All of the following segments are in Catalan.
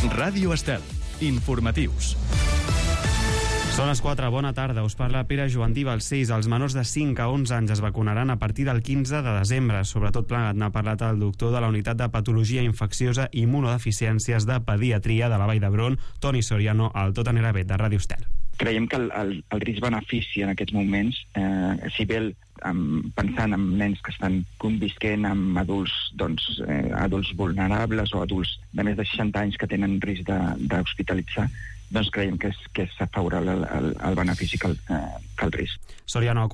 Ràdio Estel. Informatius. Són les 4, bona tarda, us parla Pere Joandí Balcells. Els menors de 5 a 11 anys es vacunaran a partir del 15 de desembre. Sobretot plegat n'ha parlat el doctor de la Unitat de Patologia Infecciosa i Immunodeficiències de Pediatria de la Vall d'Hebron, Toni Soriano, al Tot anirà bé, de Ràdio Estel. Creiem que el risc-benefici en aquests moments, si bé pensant en nens que estan convisquent amb adults, adults vulnerables o adults de més de 60 anys que tenen risc d'hospitalitzar, doncs creiem que és favorable el benefici que el risc. Soriano ha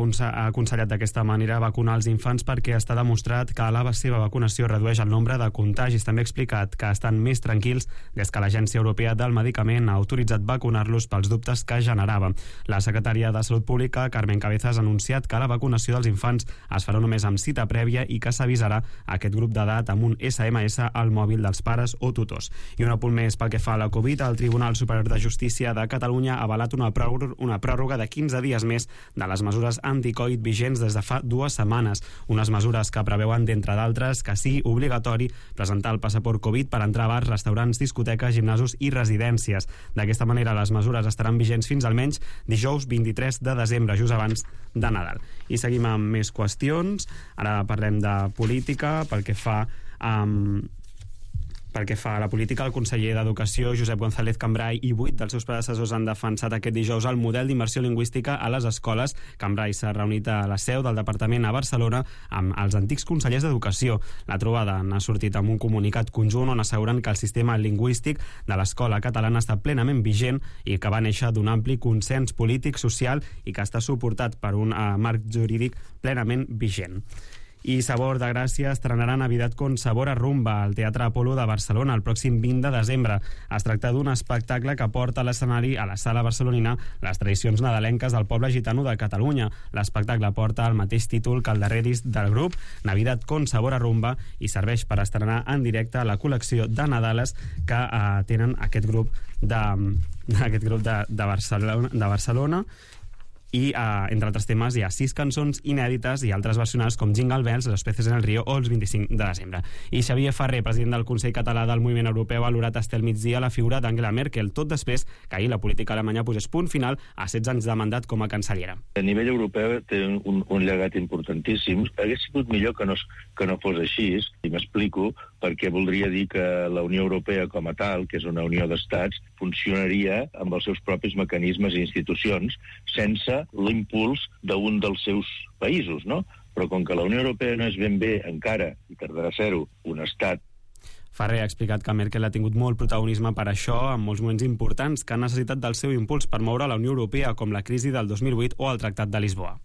aconsellat d'aquesta manera vacunar els infants perquè està demostrat que la seva vacunació redueix el nombre de contagis. També ha explicat que estan més tranquils des que l'Agència Europea del Medicament ha autoritzat vacunar-los pels dubtes que generava. La secretària de Salut Pública, Carmen Cabezas, ha anunciat que la vacunació dels infants es farà només amb cita prèvia i que s'avisarà aquest grup d'edat amb un SMS al mòbil dels pares o tutors. I un apunt més pel que fa a la Covid, el Tribunal Superior de Justícia de Catalunya ha avalat una pròrroga de 15 dies més de les mesures anti-Covid vigents des de fa 2 setmanes. Unes mesures que preveuen, d'entre d'altres, que sigui obligatori presentar el passaport Covid per entrar a bars, restaurants, discoteques, gimnasos i residències. D'aquesta manera, les mesures estaran vigents fins almenys dijous 23 de desembre, just abans de Nadal. I seguim amb més qüestions. Ara parlem de política. Pel que fa a la política, el conseller d'Educació, Josep González Cambray, i 8 dels seus predecessors han defensat aquest dijous el model d'immersió lingüística a les escoles. Cambray s'ha reunit a la seu del departament a Barcelona amb els antics consellers d'Educació. La trobada n'ha sortit amb un comunicat conjunt on asseguren que el sistema lingüístic de l'escola catalana està plenament vigent i que va néixer d'un ampli consens polític, social i que està suportat per un marc jurídic plenament vigent. I Sabor de Gràcia estrenaran Navidad con Sabor a Rumba al Teatre Apolo de Barcelona el pròxim 20 de desembre. Es tracta d'un espectacle que porta a l'escenari a la sala barcelonina les tradicions nadalenques del poble gitano de Catalunya. L'espectacle porta el mateix títol que el darrer disc del grup, Navidad con Sabor a Rumba, i serveix per estrenar en directe la col·lecció de Nadales que tenen aquest grup de Barcelona. I, entre altres temes, hi ha 6 cançons inèdites i altres versionades com Jingle Bells, Los peces en el río o els 25 de desembre. I Xavier Ferrer, president del Consell Català del Moviment Europeu, ha valorat estel migdia la figura d'Angela Merkel, tot després que ahir la política alemanya posés punt final a 16 anys de mandat com a cancellera. A nivell europeu té un llegat importantíssim. Hauria sigut millor que no fos així, i m'explico, perquè voldria dir que la Unió Europea com a tal, que és una unió d'estats, funcionaria amb els seus propis mecanismes i institucions sense l'impuls d'un dels seus països, no? Però com que la Unió Europea no és ben bé encara, i tardarà a ser-ho, un estat. Ferrer ha explicat que Merkel ha tingut molt protagonisme per això en molts moments importants que han necessitat del seu impuls per moure la Unió Europea, com la crisi del 2008 o el Tractat de Lisboa.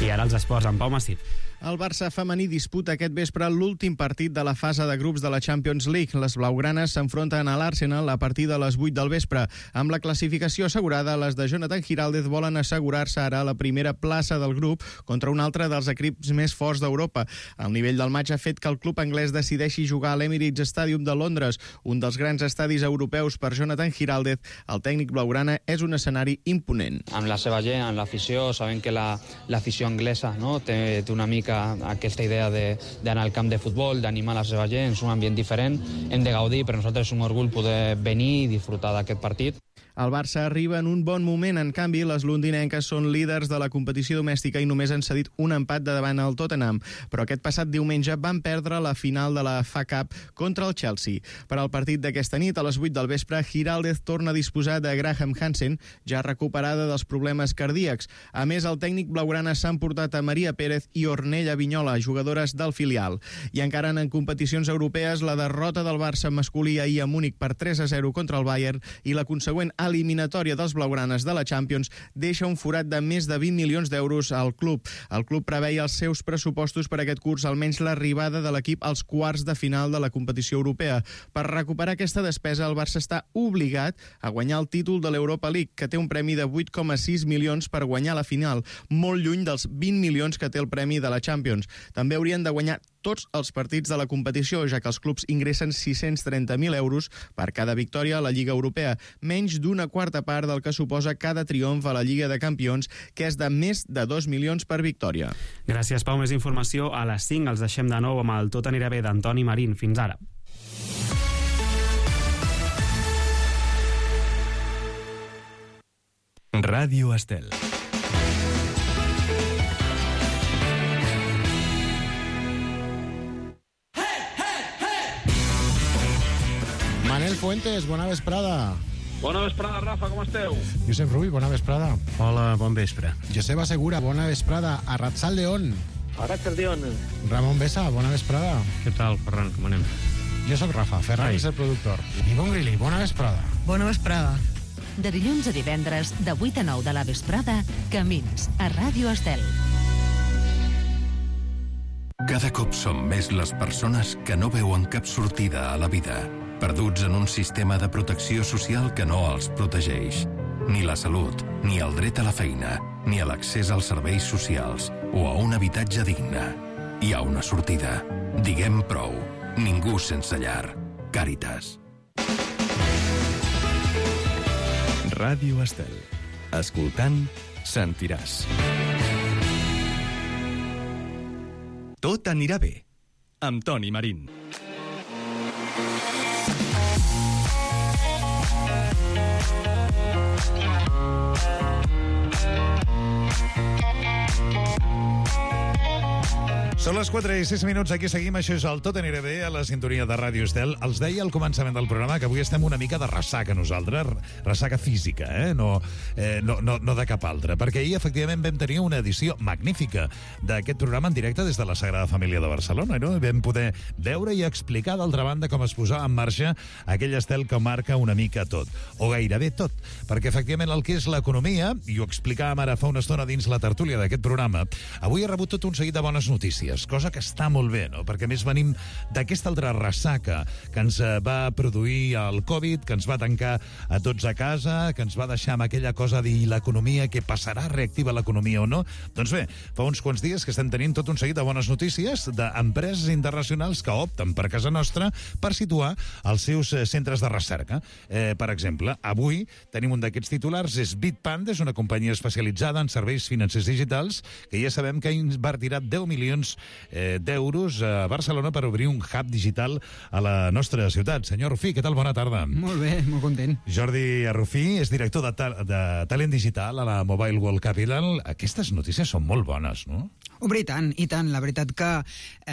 I ara els esports amb Pau Massip. El Barça femení disputa aquest vespre l'últim partit de la fase de grups de la Champions League. Les blaugranes s'enfronten a l'Arsenal a partir de les 8 del vespre. Amb la classificació assegurada, les de Jonathan Giraldez volen assegurar-se ara la primera plaça del grup contra un altre dels equips més forts d'Europa. El nivell del matx ha fet que el club anglès decideixi jugar a l'Emirates Stadium de Londres, un dels grans estadis europeus per Jonathan Giraldez. El tècnic blaugrana és un escenari imponent. Amb la seva gent, amb l'afició, sabem que l'afició anglesa, no, té una mica aquesta idea d'anar al camp de futbol, d'animar la seva gent, és un ambient diferent, hem de gaudir, per nosaltres és un orgull poder venir i disfrutar d'aquest partit. El Barça arriba en un bon moment, en canvi les londinenques són líders de la competició domèstica i només han cedit un empat de davant al Tottenham, però aquest passat diumenge van perdre la final de la FA Cup contra el Chelsea. Per al partit d'aquesta nit, a les 8 del vespre, Giraldez torna a disposar de Graham Hansen, ja recuperada dels problemes cardíacs. A més, el tècnic blaugrana s'ha emportat a Maria Pérez i Ornella Vinyola, jugadores del filial. I encara en competicions europees, la derrota del Barça masculí ahir a Múnich per 3-0 contra el Bayern i la consegüent eliminatòria dels blaugranes de la Champions deixa un forat de més de 20 milions d'euros al club. El club preveia els seus pressupostos per aquest curs, almenys l'arribada de l'equip als quarts de final de la competició europea. Per recuperar aquesta despesa, el Barça està obligat a guanyar el títol de l'Europa League, que té un premi de 8,6 milions per guanyar la final, molt lluny dels 20 milions que té el premi de la Champions. També haurien de guanyar tots els partits de la competició, ja que els clubs ingressen 630.000 euros per cada victòria a la Lliga Europea, menys d'una quarta part del que suposa cada triomf a la Lliga de Campions, que és de més de 2 milions per victòria. Gràcies, Pau. Més informació a les 5. Els deixem de nou amb el Tot anirà bé d'Antoni Marín. Fins ara. Ràdio Estel. Manel Fuentes, bona vesprada. Bona vesprada, Rafa, com esteu? Josep Rubi, bona vesprada. Hola, bon vespre. Joseba Segura, bona vesprada. Arratzal León. Arratzal León. Ramon Besa, bona vesprada. Què tal, Ferran, com anem? Jo sóc Rafa, Ferran és el productor. Ivonne Grilli, bona vesprada. Bona vesprada. De dilluns a divendres, de 8 a 9 de la vesprada, Camins, a Ràdio Estel. Cada cop som més les persones que no veuen cap sortida a la vida, perduts en un sistema de protecció social que no els protegeix. Ni la salut, ni el dret a la feina, ni a l'accés als serveis socials o a un habitatge digne. Hi ha una sortida. Diguem prou. Ningú sense llar. Càritas. Ràdio Estel. Escoltant, sentiràs. Tot anirà bé. Amb Toni Marín. Són les 4 i 6 minuts, aquí seguim, això és el Tot anirà bé a la sintonia de Ràdio Estel. Els deia al començament del programa que avui estem una mica de ressaca nosaltres, ressaca física, no de cap altra, perquè ahir efectivament vam tenir una edició magnífica d'aquest programa en directe des de la Sagrada Família de Barcelona, no? Vam poder veure i explicar d'altra banda com es posava en marxa aquell estel que marca una mica tot, o gairebé tot, perquè efectivament el que és l'economia, i ho explicàvem ara fa una estona dins la tertúlia d'aquest programa, avui ha rebut tot un seguit de bones notícies, cosa que està molt bé, no? Perquè a més venim d'aquesta altra ressaca que ens va produir el Covid, que ens va tancar a tots a casa, que ens va deixar amb aquella cosa de l'economia, què passarà, reactiva l'economia o no? Doncs bé, fa uns quants dies que estem tenint tot un seguit de bones notícies d'empreses internacionals que opten per casa nostra per situar els seus centres de recerca. Per exemple, avui tenim un d'aquests titulars, és Bitpanda, és una companyia especialitzada en serveis financers digitals, que ja sabem que ha invertirà 10 milions d'euros a Barcelona per obrir un hub digital a la nostra ciutat. Senyor Rufí, què tal? Bona tarda. Molt bé, molt content. Jordi Rufí és director de talent digital a la Mobile World Capital. Aquestes notícies són molt bones, no? Hombre, i tant. La veritat que,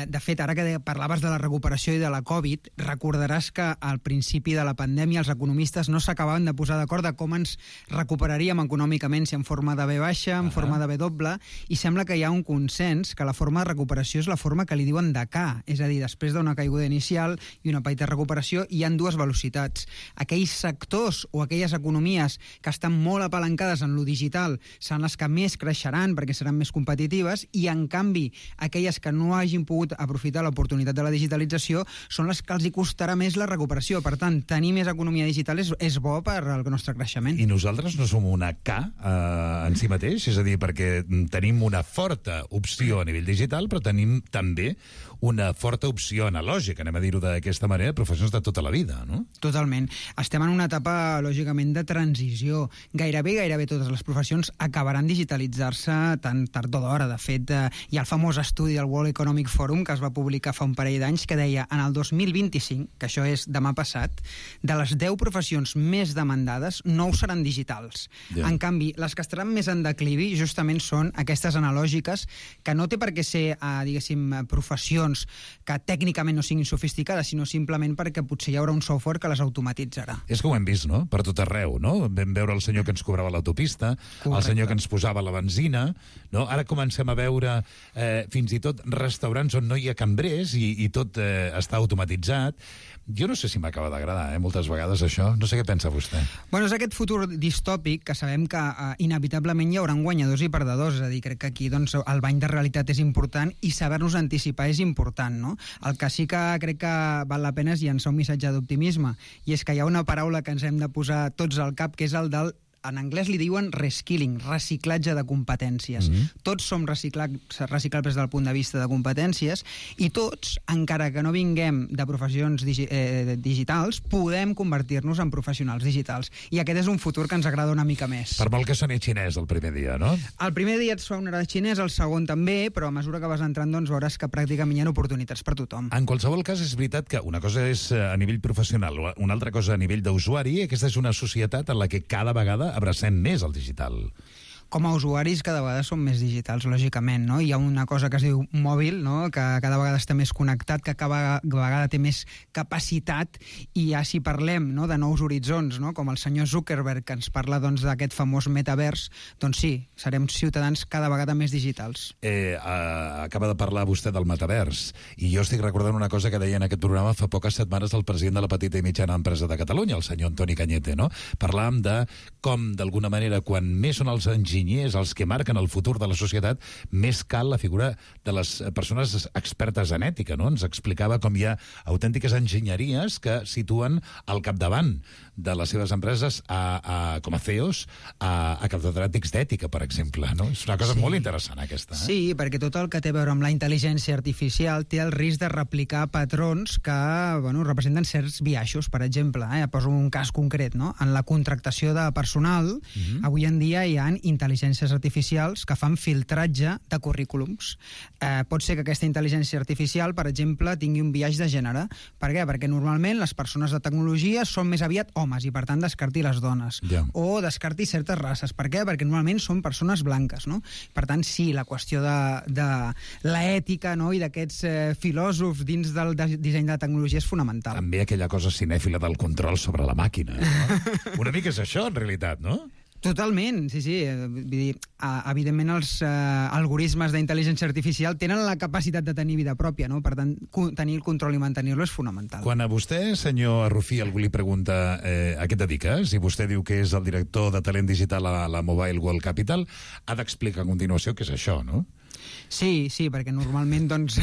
de fet, ara que parlaves de la recuperació i de la Covid, recordaràs que al principi de la pandèmia els economistes no s'acabaven de posar d'acord de com ens recuperaríem econòmicament, si en forma de V baixa, en forma de V doble, i sembla que hi ha un consens que la forma de recuperació és la forma que li diuen de K, és a dir, després d'una caiguda inicial i una petita recuperació hi ha dues velocitats. Aquells sectors o aquelles economies que estan molt apalancades en lo digital seran les que més creixeran perquè seran més competitives i, en canvi, aquelles que no hagin pogut aprofitar l'oportunitat de la digitalització són les que els hi costarà més la recuperació. Per tant, tenir més economia digital és bo per al nostre creixement. I nosaltres no som una K en si mateix? És a dir, perquè tenim una forta opció a nivell digital, però tenim també una forta opció analògica, anem a dir-ho d'aquesta manera, professions de tota la vida, no? Totalment. Estem en una etapa, lògicament, de transició. Gairebé totes les professions acabaran digitalitzar-se tan tard o d'hora. De fet, hi ha el famós estudi del World Economic Forum que es va publicar fa un parell d'anys que deia en el 2025, que això és demà passat, de les 10 professions més demandades, 9 seran digitals. Yeah. En canvi, les que estaran més en declivi justament són aquestes analògiques que no té per què ser, diguéssim, professions que tècnicament no siguin sofisticades, sinó simplement perquè potser hi haurà un software que les automatitzarà. És que ho hem vist, no? Per tot arreu, no? Vam veure el senyor que ens cobrava l'autopista, el senyor que ens posava la benzina, no? Ara comencem a veure fins i tot restaurants on no hi ha cambrers i tot està automatitzat. Jo no sé si m'acaba d'agradar, moltes vegades això. No sé què pensa vostè. Bueno, és aquest futur distòpic que sabem que inevitablement hi haurà guanyadors i perdedors. És a dir, crec que aquí doncs, el bany de realitat és important i saber-nos anticipar és important, no? El que sí que crec que val la pena és llançar un missatge d'optimisme, i és que hi ha una paraula que ens hem de posar tots al cap, que és el del en anglès li diuen reskilling, reciclatge de competències. Tots som reciclables des del punt de vista de competències i tots, encara que no vinguem de professions digitals, podem convertir-nos en professionals digitals. I aquest és un futur que ens agrada una mica més. Per molt que soni xinès el primer dia, no? El primer dia et sonarà xinès, el segon també, però a mesura que vas entrant doncs veuràs que pràcticament hi ha oportunitats per tothom. En qualsevol cas, és veritat que una cosa és a nivell professional, una altra cosa a nivell d'usuari. Aquesta és una societat en la que cada vegada abracem més el digital. Com a usuaris cada vegada som més digitals, lògicament, no? Hi ha una cosa que es diu mòbil, no? Que cada vegada està més connectat, que cada vegada té més capacitat, i ja si parlem, no, de nous horitzons, no? Com el senyor Zuckerberg, que ens parla doncs, d'aquest famós metavers, doncs sí, serem ciutadans cada vegada més digitals. Acaba de parlar vostè del metavers, i jo estic recordant una cosa que deia en aquest programa fa poques setmanes el president de la petita i mitjana empresa de Catalunya, el senyor Antoni Cañete, no? Parlàvem de com, d'alguna manera, quan més són els enginyers, els que marquen el futur de la societat, més cal la figura de les persones expertes en ètica, no? Ens explicava com hi ha autèntiques enginyeries que situen al capdavant de les seves empreses com a CEOs a catedràtics d'ètica, per exemple, no? És una cosa molt interessant, aquesta. Sí, perquè tot el que té a veure amb la intel·ligència artificial té el risc de replicar patrons que, bueno, representen certs biaixos, per exemple. Poso un cas concret, no? En la contractació de personal, avui en dia hi ha intel·ligències artificials que fan filtratge de currículums. Pot ser que aquesta intel·ligència artificial, per exemple, tingui un biaix de gènere. Per què? Perquè normalment les persones de tecnologia són més aviat homes i, per tant, descarti les dones. O descarti certes races. Per què? Perquè normalment són persones blanques, no? Per tant, sí, la qüestió de l'ètica, no? I d'aquests filòsofs dins del disseny de la tecnologia és fonamental. També aquella cosa cinèfila del control sobre la màquina, no? Una mica és això, en realitat, no? Totalment, sí. Vull dir, evidentment els algoritmes d'intel·ligència artificial tenen la capacitat de tenir vida pròpia, no? Per tant, tenir el control i mantenir-lo és fonamental. Quan a vostè, senyor Arrufí, algú li pregunta a què et dediques, i vostè diu que és el director de talent digital a la Mobile World Capital, ha d'explicar a continuació què és això, no? Sí, perquè normalment, doncs,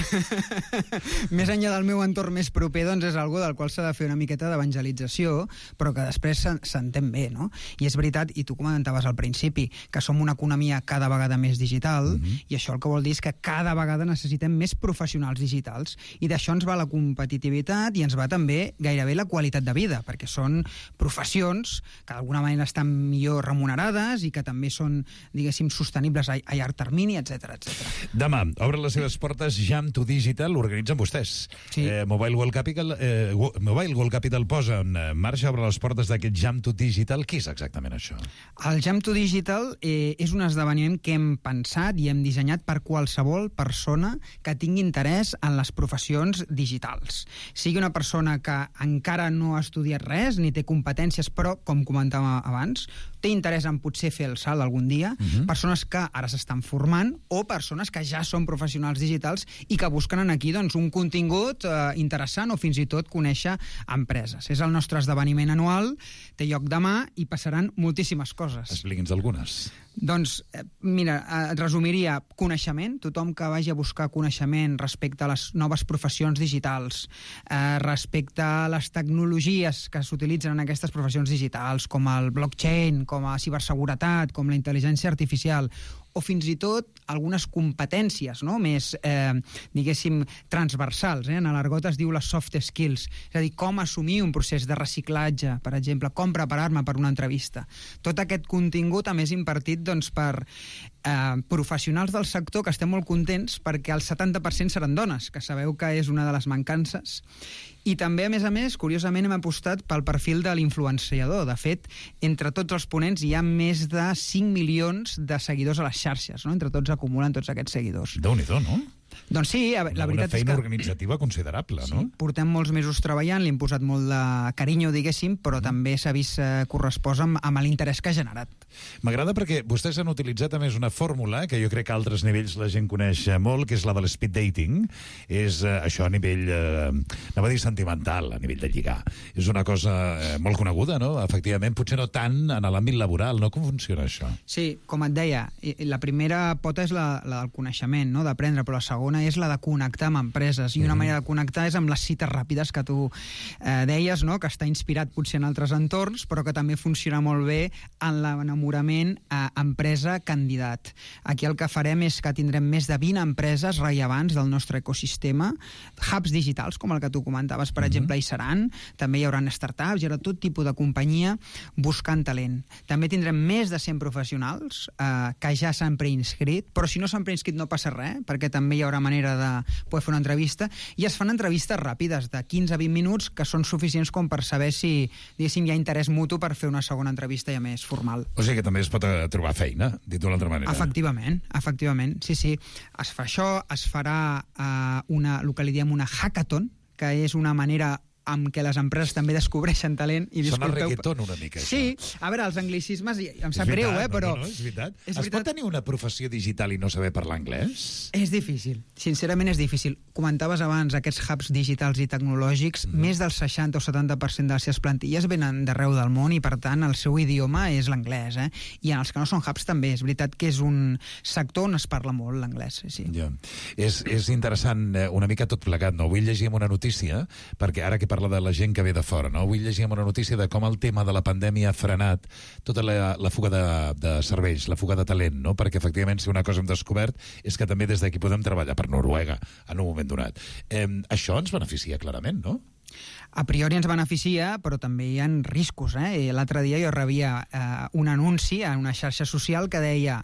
més enllà del meu entorn més proper, doncs és algo del qual s'ha de fer una miqueta d'evangelització, però que després s'entén bé, no? I és veritat, i tu comentaves al principi, que som una economia cada vegada més digital, i això el que vol dir és que cada vegada necessitem més professionals digitals, i d'això ens va la competitivitat i ens va també gairebé la qualitat de vida, perquè són professions que d'alguna manera estan millor remunerades i que també són, diguéssim, sostenibles a llarg termini, etc. Demà obren les seves portes Jam to Digital, organitzen vostès. Sí. Mobile World Capital posa en marxa, obre les portes d'aquest Jam to Digital. Què és exactament això? El Jam to Digital és un esdeveniment que hem pensat i hem dissenyat per qualsevol persona que tingui interès en les professions digitals. Sigui una persona que encara no ha estudiat res, ni té competències, però, com comentàvem abans, té interès en potser fer el salt algun dia, persones que ara s'estan formant o persones que ja són professionals digitals i que busquen aquí doncs, un contingut interessant o fins i tot conèixer empreses. És el nostre esdeveniment anual, té lloc demà i passaran moltíssimes coses. Expliqui'ns algunes. Doncs, mira, et resumiria coneixement, tothom que vagi a buscar coneixement respecte a les noves professions digitals, respecte a les tecnologies que s'utilitzen en aquestes professions digitals, com el blockchain, com a ciberseguretat, com la intel·ligència artificial, o fins i tot algunes competències, no? Més, diguéssim, transversals. En l'argot es diu les soft skills, és a dir, com assumir un procés de reciclatge, per exemple, com preparar-me per una entrevista. Tot aquest contingut, a més, impartit doncs, per professionals del sector que estem molt contents perquè el 70% seran dones, que sabeu que és una de les mancances. I també, a més, curiosament hem apostat pel perfil de l'influenciador. De fet, entre tots els ponents hi ha més de 5 milions de seguidors a les xarxes, no? Entre tots acumulen tots aquests seguidors. Déu-n'hi-do, no? Doncs sí, la veritat és que... Una feina organitzativa considerable, no? Sí, portem molts mesos treballant, li hem posat molt de carinyo, diguéssim, però també s'ha vist correspost amb l'interès que ha generat. M'agrada perquè vostès han utilitzat a més una fórmula que jo crec que a altres nivells la gent coneix molt, que és la de l'speed dating. És això a nivell, anava a dir sentimental, a nivell de lligar. És una cosa molt coneguda, no? Efectivament, potser no tant en l'àmbit laboral, no? Com funciona això? Sí, com et deia, la primera pota és la del coneixement, no? D'aprendre, però la segona és la de connectar amb empreses, i una manera de connectar és amb les cites ràpides que tu deies, no? Que està inspirat potser en altres entorns, però que també funciona molt bé en l'enamorament empresa-candidat. Aquí el que farem és que tindrem més de 20 empreses rellevants del nostre ecosistema, hubs digitals, com el que tu comentaves, per exemple, hi seran, també hi haurà startups, hi haurà tot tipus de companyia buscant talent. També tindrem més de 100 professionals que ja s'han preinscrit, però si no s'han preinscrit no passa res, perquè també hi haurà manera de poder fer una entrevista, i es fan entrevistes ràpides de 15 a 20 minuts que són suficients com per saber si, diguéssim, hi ha interès mutu per fer una segona entrevista ja més formal. O sigui que també es pot trobar feina, dit d'una altra manera. Efectivament, sí. Es fa això, es farà el que li diem una hackathon, que és una manera amb què les empreses també descobreixen talent. Sona reggaeton una mica, això. Sí, a veure, els anglicismes, em sap greu, però... No, és veritat. Es pot tenir una professió digital i no saber parlar anglès? És difícil, sincerament és difícil. Comentaves abans aquests hubs digitals i tecnològics, més del 60 o 70% de les seves plantilles venen d'arreu del món i, per tant, el seu idioma és l'anglès. I en els que no són hubs també. És veritat que és un sector on es parla molt l'anglès. Sí. Ja. És interessant una mica tot plegat, no? Vull llegir una notícia, perquè ara que parla de la gent que ve de fora, no? Avui llegíem una notícia de com el tema de la pandèmia ha frenat tota la fuga de cervells, la fuga de talent, no? Perquè efectivament si una cosa hem descobert és que també des d'aquí podem treballar per Noruega en un moment donat. Això ens beneficia clarament, no? A priori ens beneficia, però també hi ha riscos. L'altre dia jo rebia un anunci en una xarxa social que deia,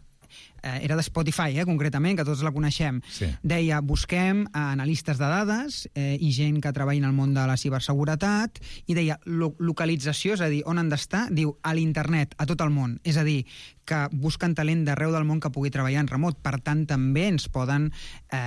era de Spotify, concretament, que tots la coneixem. Sí. Deia, busquem analistes de dades i gent que treballa en el món de la ciberseguretat, i deia, localització, és a dir, on han d'estar, diu, a l'internet, a tot el món. És a dir, que busquen talent d'arreu del món que pugui treballar en remot. Per tant, també ens poden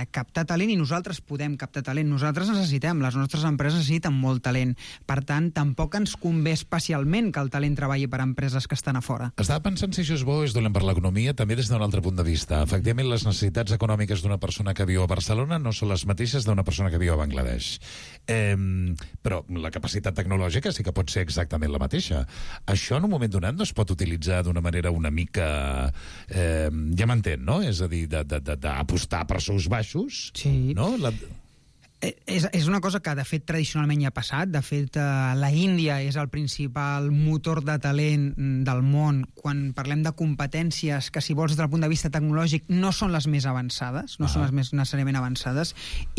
captar talent i nosaltres podem captar talent. Nosaltres necessitem, les nostres empreses necessiten molt talent. Per tant, tampoc ens convé especialment que el talent treballi per a empreses que estan a fora. Estava pensant si això és bo o és dolent per l'economia, també des d'un altre punt de vista. Efectivament, les necessitats econòmiques d'una persona que viu a Barcelona no són les mateixes d'una persona que viu a Bangladesh. Però la capacitat tecnològica sí que pot ser exactament la mateixa. Això en un moment donat no es pot utilitzar d'una manera una mica... ja m'entén, no? És a dir, d'apostar per sous baixos. Sí. No? És una cosa que, de fet, tradicionalment ja ha passat. De fet, la Índia és el principal motor de talent del món quan parlem de competències que, si vols, des del punt de vista tecnològic, no són les més avançades, no són les més necessàriament avançades.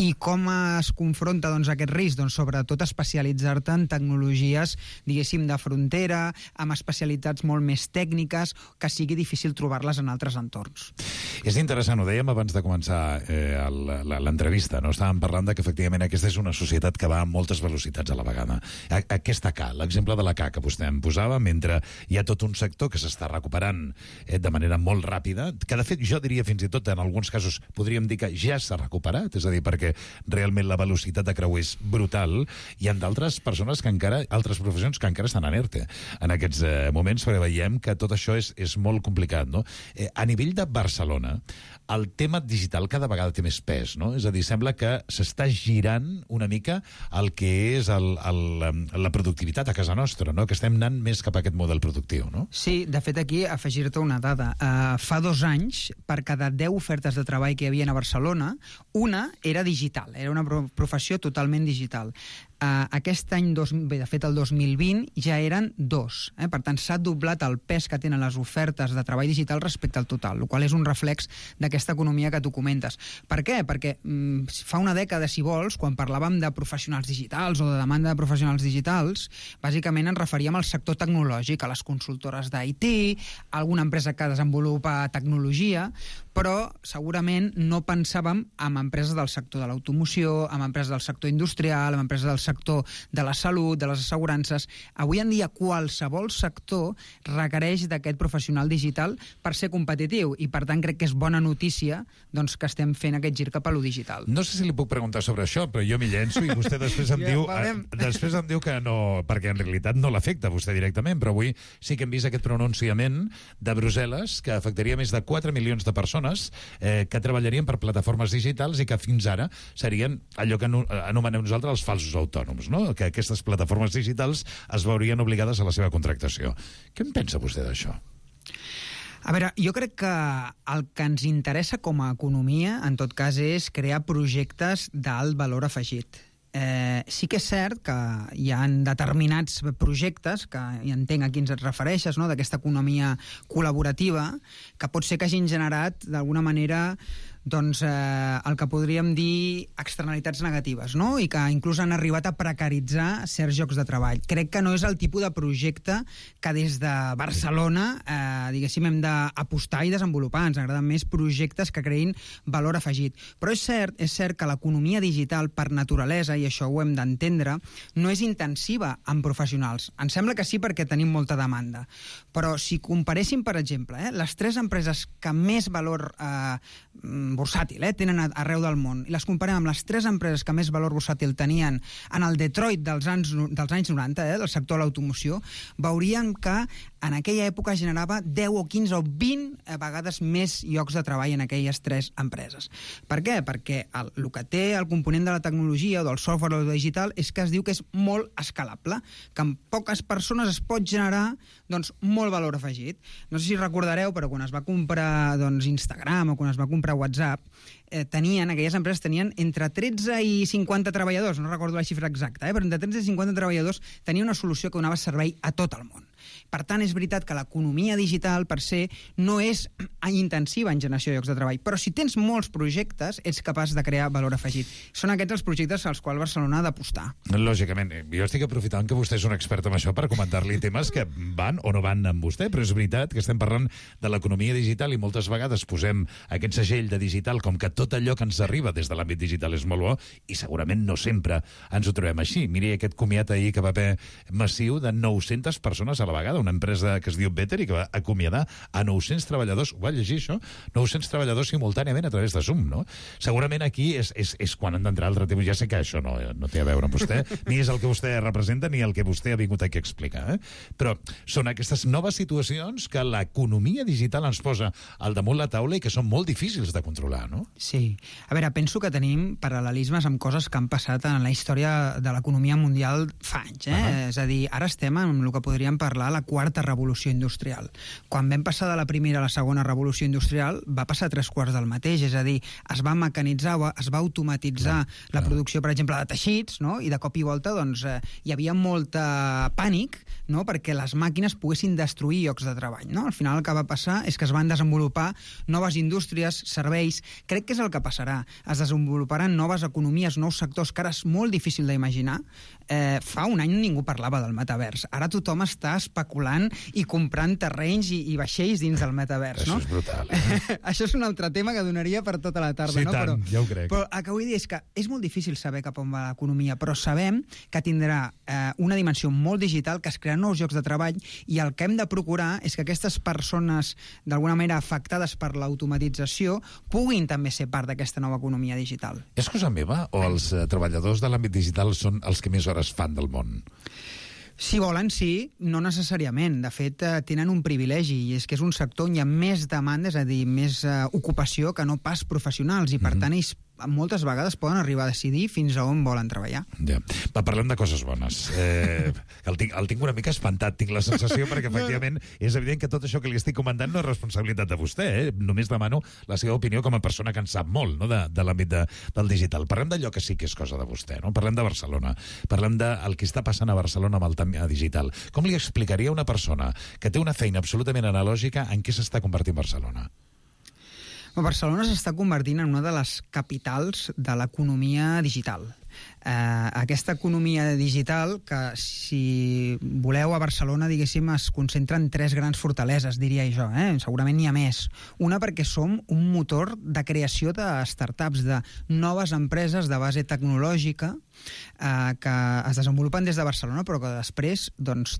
I com es confronta aquest risc? Doncs sobretot especialitzar-te en tecnologies, diguéssim, de frontera, amb especialitats molt més tècniques, que sigui difícil trobar-les en altres entorns. És interessant, ho dèiem abans de començar l'entrevista, no? Estàvem parlant de que efectivament aquesta és una societat que va a moltes velocitats a la vegada. Aquesta K, l'exemple de la K que vostè em posava, mentre hi ha tot un sector que s'està recuperant de manera molt ràpida, que de fet jo diria fins i tot en alguns casos podríem dir que ja s'ha recuperat, és a dir, perquè realment la velocitat de creu és brutal, hi ha d'altres persones que encara, altres professions que encara estan en ERTE en aquests moments, perquè veiem que tot això és molt complicat, no? A nivell de Barcelona, el tema digital cada vegada té més pes, no? És a dir, sembla que s'està girant una mica el que és la productivitat a casa nostra, no? Que estem anant més cap a aquest model productiu, no? Sí, de fet, aquí, afegir-te una dada. Fa 2 anys, per cada 10 ofertes de treball que hi havia a Barcelona, una era digital, era una professió totalment digital. Aquest any, de fet el 2020, ja eren 2. Per tant, s'ha doblat el pes que tenen les ofertes de treball digital respecte al total, el qual és un reflex d'aquesta economia que tu comentes. Per què? Perquè fa una dècada, si vols, quan parlàvem de professionals digitals o de demanda de professionals digitals, bàsicament ens referíem al sector tecnològic, a les consultores d'IT, a alguna empresa que desenvolupa tecnologia, però segurament no pensàvem en empreses del sector de l'automoció, en empreses del sector industrial, en empreses del sector de la salut, de les assegurances. Avui en dia qualsevol sector requereix d'aquest professional digital per ser competitiu i, per tant, crec que és bona notícia doncs, que estem fent aquest gir cap a lo digital. No sé si li puc preguntar sobre això, però jo m'hi llenço i vostè després em diu que no, perquè en realitat no l'afecta vostè directament, però avui sí que hem vist aquest pronunciament de Brussel·les que afectaria més de 4 milions de persones que treballarien per plataformes digitals i que fins ara serien allò que anomenem nosaltres els falsos autònoms, no? Que aquestes plataformes digitals es veurien obligades a la seva contractació. Què en pensa vostè d'això? A veure, jo crec que el que ens interessa com a economia, en tot cas, és crear projectes d'alt valor afegit. Sí que és cert que hi ha determinats projectes, que ja entenc a quins et refereixes, no? D'aquesta economia col·laborativa, que pot ser que hagin generat, d'alguna manera, doncs, el que podríem dir externalitats negatives, no? I que inclús han arribat a precaritzar certs llocs de treball. Crec que no és el tipus de projecte que des de Barcelona, diguéssim, hem d'apostar i desenvolupar. Ens agraden més projectes que creïn valor afegit. Però és cert que l'economia digital, per naturalesa, i això ho hem d'entendre, no és intensiva en professionals. Ens sembla que sí perquè tenim molta demanda. Però si comparéssim, per exemple, les 3 empreses que més valor bursàtil tenen arreu del món, i les comparem amb les 3 empreses que més valor bursàtil tenien en el Detroit dels anys 90, del sector de l'automoció, veuríem que en aquella època generava 10 o 15 o 20 vegades més llocs de treball en aquelles 3 empreses. Per què? Perquè el que té el component de la tecnologia o del software o del digital és que es diu que és molt escalable, que amb poques persones es pot generar molt valor afegit. No sé si recordareu, però quan es va comprar Instagram o quan es va comprar WhatsApp, aquelles empreses tenien entre 13 i 50 treballadors, no recordo la xifra exacta, però entre 13 i 50 treballadors tenia una solució que donava servei a tot el món. Per tant, és veritat que l'economia digital, per se, no és intensiva en generació de llocs de treball, però si tens molts projectes, ets capaç de crear valor afegit. Són aquests els projectes als quals Barcelona ha d'apostar. Lògicament, jo estic aprofitant que vostè és un expert en això per comentar-li temes que van o no van amb vostè, però és veritat que estem parlant de l'economia digital i moltes vegades posem aquest segell de digital com que tot allò que ens arriba des de l'àmbit digital és molt bo i segurament no sempre ens ho trobem així. Miri aquest comiat ahir que va haver massiu de 900 persones a la vegada, una empresa que es diu Better i que va acomiadar a 900 treballadors, ho va llegir això? 900 treballadors simultàniament a través de Zoom, no? Segurament aquí és quan han d'entrar altre tipus. Ja sé que això no té a veure amb vostè, ni és el que vostè representa ni el que vostè ha vingut aquí a explicar, però són aquestes noves situacions que l'economia digital ens posa al damunt la taula i que són molt difícils de controlar, no? Sí. A veure, penso que tenim paral·lelismes amb coses que han passat en la història de l'economia mundial fa anys, És a dir, ara estem en el que podríem parlar la quarta revolució industrial. Quan vam passar de la primera a la segona revolució industrial, va passar 3/4 del mateix, és a dir, es va mecanitzar, es va automatitzar la producció, per exemple, de teixits, no? I de cop i volta hi havia molt pànic, no? Perquè les màquines poguessin destruir llocs de treball, no? Al final el que va passar és que es van desenvolupar noves indústries, serveis. Crec que és el que passarà. Es desenvoluparan noves economies, nous sectors, que ara és molt difícil d'imaginar. Fa un any ningú parlava del metavers. Ara tothom està especulant i comprant terrenys i vaixells dins del metavers, no? Això és brutal. Això és un altre tema que donaria per tota la tarda, sí, no? Tant, ja ho crec. Però el que vull dir és que és molt difícil saber cap on va l'economia, però sabem que tindrà una dimensió molt digital, que es crearan nous llocs de treball, i el que hem de procurar és que aquestes persones, d'alguna manera afectades per l'automatització, puguin també ser part d'aquesta nova economia digital. És cosa meva o els treballadors de l'àmbit digital són els que més hores fan del món? Si volen, sí, no necessàriament. De fet, tenen un privilegi, i és que és un sector on hi ha més demanda, és a dir, més ocupació que no pas professionals, i per tant ells moltes vegades poden arribar a decidir fins a on volen treballar. Ja. Va, parlem de coses bones. El tinc una mica espantat, tinc la sensació, perquè efectivament és evident que tot això que li estic comentant no és responsabilitat de vostè, Només demano la seva opinió com a persona que en sap molt, no? de l'àmbit del digital. Parlem d'allò que sí que és cosa de vostè, no? Parlem de Barcelona, parlem del que està passant a Barcelona amb el tema digital. Com li explicaria a una persona que té una feina absolutament analògica en què s'està convertint Barcelona? Barcelona s'està convertint en una de les capitals de l'economia digital. Aquesta economia digital que, si voleu, a Barcelona, diguéssim, es concentra en 3 grans fortaleses, diria jo. Segurament n'hi ha més. Una, perquè som un motor de creació de startups, de noves empreses de base tecnològica que es desenvolupen des de Barcelona, però que després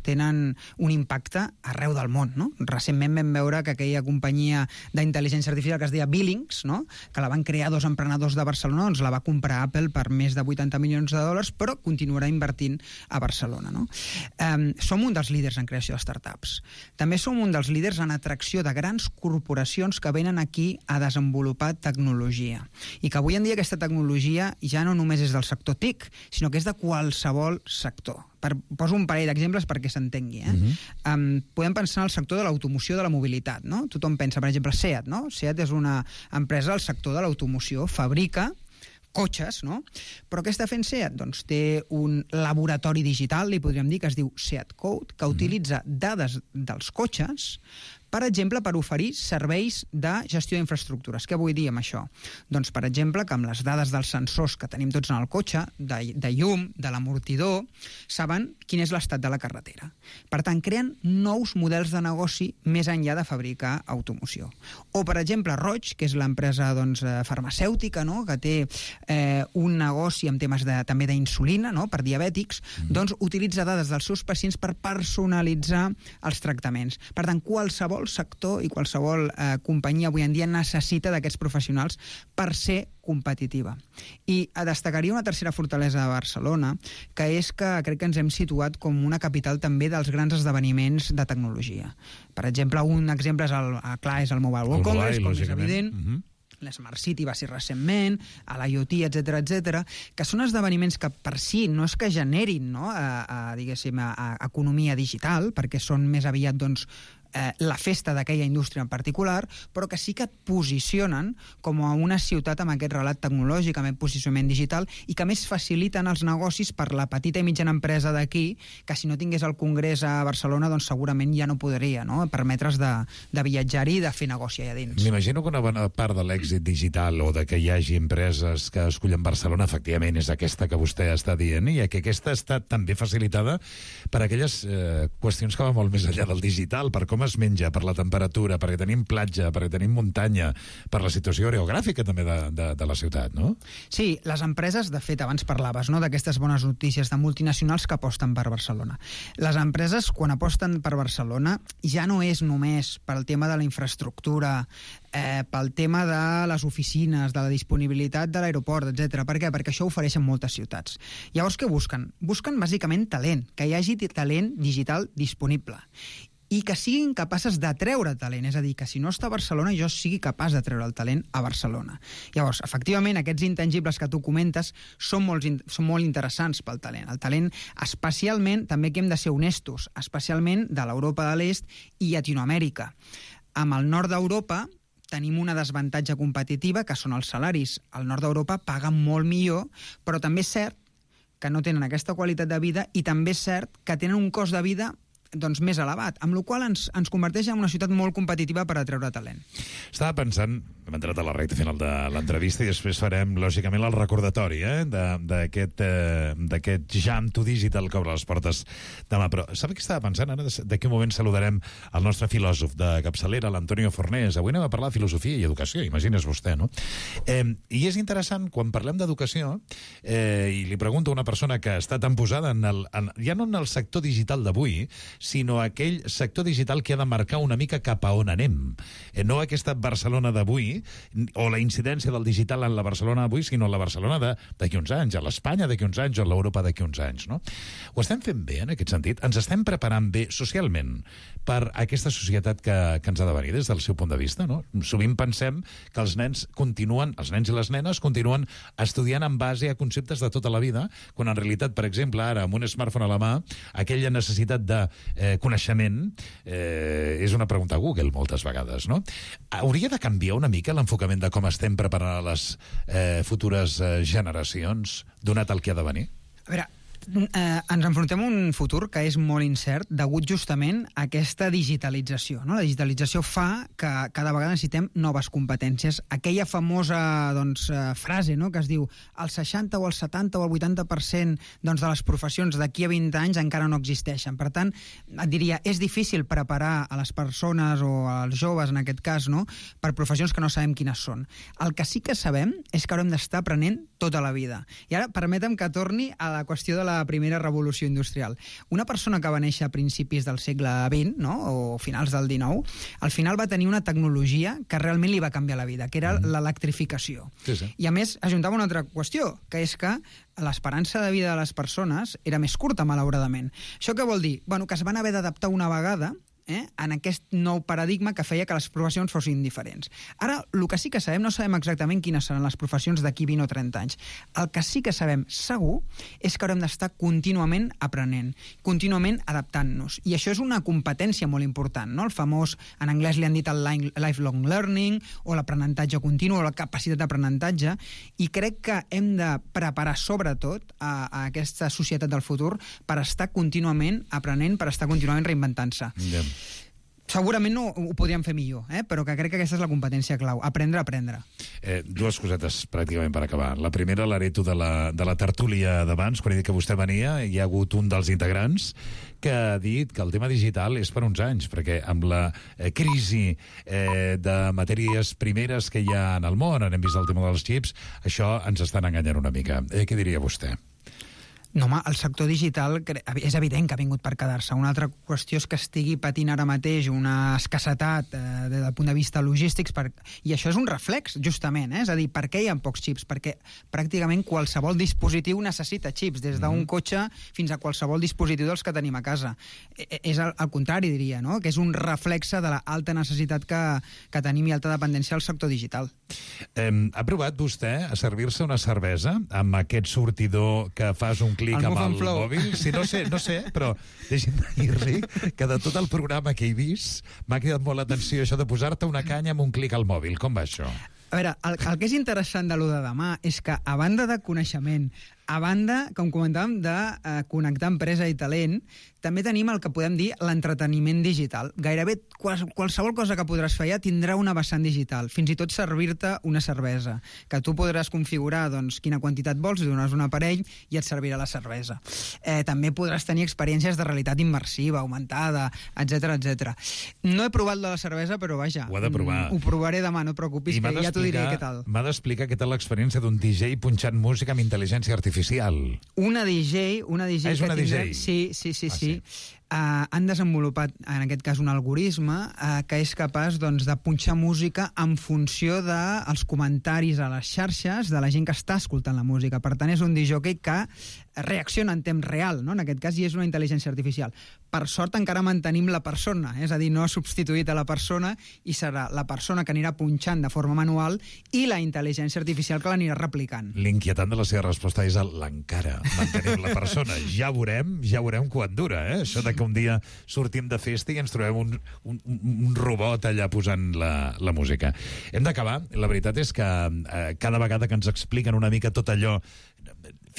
tenen un impacte arreu del món, no? Recentment vam veure que aquella companyia d'intel·ligència artificial que es deia Billings, no? Que la van crear 2 emprenedors de Barcelona, la va comprar Apple per més de 80 milions de dòlars, però continuarà invertint a Barcelona, no? Som un dels líders en creació de startups. També som un dels líders en atracció de grans corporacions que venen aquí a desenvolupar tecnologia. I que avui en dia aquesta tecnologia ja no només és del sector TIC, sinó que és de qualsevol sector. Poso un parell d'exemples perquè s'entengui. Podem pensar en el sector de l'automoció, de la mobilitat, no? Tothom pensa, per exemple, SEAT, no? SEAT és una empresa del sector de l'automoció, fabrica cotxes, no? Però què està fent SEAT? Doncs té un laboratori digital, li podríem dir, que es diu SEAT Code, que utilitza dades dels cotxes Per exemple, per oferir serveis de gestió d'infraestructures. Què vull dir amb això? Doncs, per exemple, que amb les dades dels sensors que tenim tots en el cotxe, de llum, de l'amortidor, saben quin és l'estat de la carretera. Per tant, creen nous models de negoci més enllà de fabricar automoció. O, per exemple, Roig, que és l'empresa farmacèutica, no?, que té un negoci amb temes també d'insulina, no?, per diabètics, doncs utilitza dades dels seus pacients per personalitzar els tractaments. Per tant, qualsevol sector i qualsevol companyia avui en dia necessita d'aquests professionals per ser competitiva. I destacaria una tercera fortalesa de Barcelona, que és que crec que ens hem situat com una capital també dels grans esdeveniments de tecnologia. Per exemple, un exemple és el Mobile World Congress, com és evident, l'Smart City va ser recentment, a l'IoT, etc., que són esdeveniments que per si no és que generin, no, diguéssim, economia digital, perquè són més aviat, doncs, la festa d'aquella indústria en particular, però que sí que et posicionen com a una ciutat amb aquest relat tecnològic, amb aquest posicionament digital, i que més faciliten els negocis per la petita i mitjana empresa d'aquí, que si no tingués el Congrés a Barcelona, doncs segurament ja no podria, no?, permetre's de viatjar-hi i de fer negoci allà dins. M'imagino que una bona part de l'èxit digital o de que hi hagi empreses que escullen Barcelona, efectivament, és aquesta que vostè està dient, i que aquesta està també facilitada per aquelles qüestions que van molt més enllà del digital, per com es menja, per la temperatura, perquè tenim platja, perquè tenim muntanya, per la situació geogràfica també de la ciutat, no? Sí, les empreses, de fet, abans parlaves, no?, d'aquestes bones notícies de multinacionals que aposten per Barcelona. Les empreses, quan aposten per Barcelona, ja no és només pel tema de la infraestructura, pel tema de les oficines, de la disponibilitat de l'aeroport, etc. Per què? Perquè això ofereixen moltes ciutats. Llavors, què busquen? Busquen, bàsicament, talent, que hi hagi talent digital disponible, i que siguin capaces d'atreure talent, és a dir, que si no està a Barcelona, jo sigui capaç d'atreure el talent a Barcelona. Llavors, efectivament, aquests intangibles que tu comentes són molt interessants pel talent. El talent, especialment, també que hem de ser honestos, especialment de l'Europa de l'Est i Llatinoamèrica. Amb el nord d'Europa tenim una desavantatge competitiva, que són els salaris. Al nord d'Europa paguen molt millor, però també és cert que no tenen aquesta qualitat de vida, i també és cert que tenen un cost de vida doncs més elevat, amb la qual cosa ens converteix en una ciutat molt competitiva per atreure talent. Estava pensant, hem entrat a la recta final de l'entrevista i després farem, lògicament, el recordatori d'aquest Jam to Digital que obre les portes demà. Però sap què estava pensant? Ara d'aquí un moment saludarem el nostre filòsof de capçalera, l'Antonio Fornés. Avui anem a parlar de filosofia i educació, imagines vostè, no? I és interessant, quan parlem d'educació, i li pregunto a una persona que està tan posada ja no en el sector digital d'avui, sinó aquell sector digital que ha de marcar una mica cap a on anem. No aquesta Barcelona d'avui, o la incidència del digital en la Barcelona d'avui, sinó la Barcelona d'aquí uns anys, a l'Espanya d'aquí uns anys, o a l'Europa d'aquí uns anys, no? Ho estem fent bé, en aquest sentit? Ens estem preparant bé socialment per aquesta societat que ens ha de venir des del seu punt de vista, no? Sovint pensem que els nens i les nenes continuen estudiant en base a conceptes de tota la vida, quan en realitat, per exemple, ara, amb un smartphone a la mà, aquella necessitat de coneixement és una pregunta a Google moltes vegades, no? Hauria de canviar una mica l'enfocament de com estem preparant a les futures generacions, donat el que ha de venir? A veure, ens enfrontem a un futur que és molt incert degut justament a aquesta digitalització, no? La digitalització fa que cada vegada necessitem noves competències. Aquella famosa frase, no?, que es diu el 60 o el 70 o el 80% de les professions d'aquí a 20 anys encara no existeixen. Per tant, et diria, és difícil preparar a les persones o als joves, en aquest cas, no?, per professions que no sabem quines són. El que sí que sabem és que haurem d'estar aprenent tota la vida. I ara permetem que torni a la qüestió de la primera revolució industrial. Una persona que va néixer a principis del segle XX, no?, o finals del XIX, al final va tenir una tecnologia que realment li va canviar la vida, que era l'electrificació. Sí. I a més, ajuntava una altra qüestió, que és que l'esperança de vida de les persones era més curta, malauradament. Això què vol dir? Bueno, que es van haver d'adaptar una vegada en aquest nou paradigma que feia que les professions fossin diferents. Ara, el que sí que sabem, no sabem exactament quines seran les professions d'aquí 20 o 30 anys. El que sí que sabem segur és que haurem d'estar contínuament aprenent, contínuament adaptant-nos. I això és una competència molt important, no? El famós, en anglès li han dit el lifelong learning, o l'aprenentatge continu, o la capacitat d'aprenentatge, i crec que hem de preparar sobretot a aquesta societat del futur per estar contínuament aprenent, per estar contínuament reinventant-se. segurament no ho podríem fer millor, però que crec que aquesta és la competència clau, aprendre a aprendre. Dues cosetes pràcticament per acabar. La primera, l'hereto de la tertúlia d'abans, quan he dit que vostè venia, hi ha hagut un dels integrants que ha dit que el tema digital és per uns anys, perquè amb la crisi de matèries primeres que hi ha en el món, hem vist el tema dels xips, això ens estan enganyant una mica. Què diria vostè? No, home, el sector digital és evident que ha vingut per quedar-se. Una altra qüestió és que estigui patint ara mateix una escassetat des del punt de vista logístics, i això és un reflex, justament, és a dir, per què hi ha pocs xips? Perquè pràcticament qualsevol dispositiu necessita xips, des d'un cotxe fins a qualsevol dispositiu dels que tenim a casa. És al contrari, diria, no? Que és un reflexe de l'alta necessitat que tenim i alta dependència al sector digital. Ha provat vostè a servir-se una cervesa amb aquest sortidor que fas un clic amb el mòbil? Sí, no sé, però deixi'm dir-li que de tot el programa que he vist m'ha cridat molt l'atenció això de posar-te una canya amb un clic al mòbil. Com va això? A veure, el que és interessant de lo de demà és que, a banda de coneixement, a banda, com comentàvem, de connectar empresa i talent, també tenim el que podem dir l'entreteniment digital. Gairebé qualsevol cosa que podràs fer ja tindrà una vessant digital, fins i tot servir-te una cervesa, que tu podràs configurar quina quantitat vols, li dones un aparell i et servirà la cervesa. També podràs tenir experiències de realitat immersiva, augmentada, etc. No he provat de la cervesa, però vaja, ho ha de provar. Ho provaré demà, no et preocupis, que ja t'ho diré què tal. M'ha d'explicar què tal l'experiència d'un DJ punxant música amb intel·ligència artificial. Una DJ... És una DJ? Sí. Han desenvolupat, en aquest cas, un algoritme que és capaç de punxar música en funció dels comentaris a les xarxes de la gent que està escoltant la música. Per tant, és un discjòquei que reacciona en temps real, no? En aquest cas, i és una intel·ligència artificial. Per sort, encara mantenim la persona, és a dir, no ha substituït a la persona i serà la persona que anirà punxant de forma manual i la intel·ligència artificial que l'anirà replicant. L'inquietant de la seva resposta és l'encara mantenim la persona. Ja veurem quan dura, això de que un dia sortim de festa i ens trobem un robot allà posant la música. Hem d'acabar. La veritat és que cada vegada que ens expliquen una mica tot allò...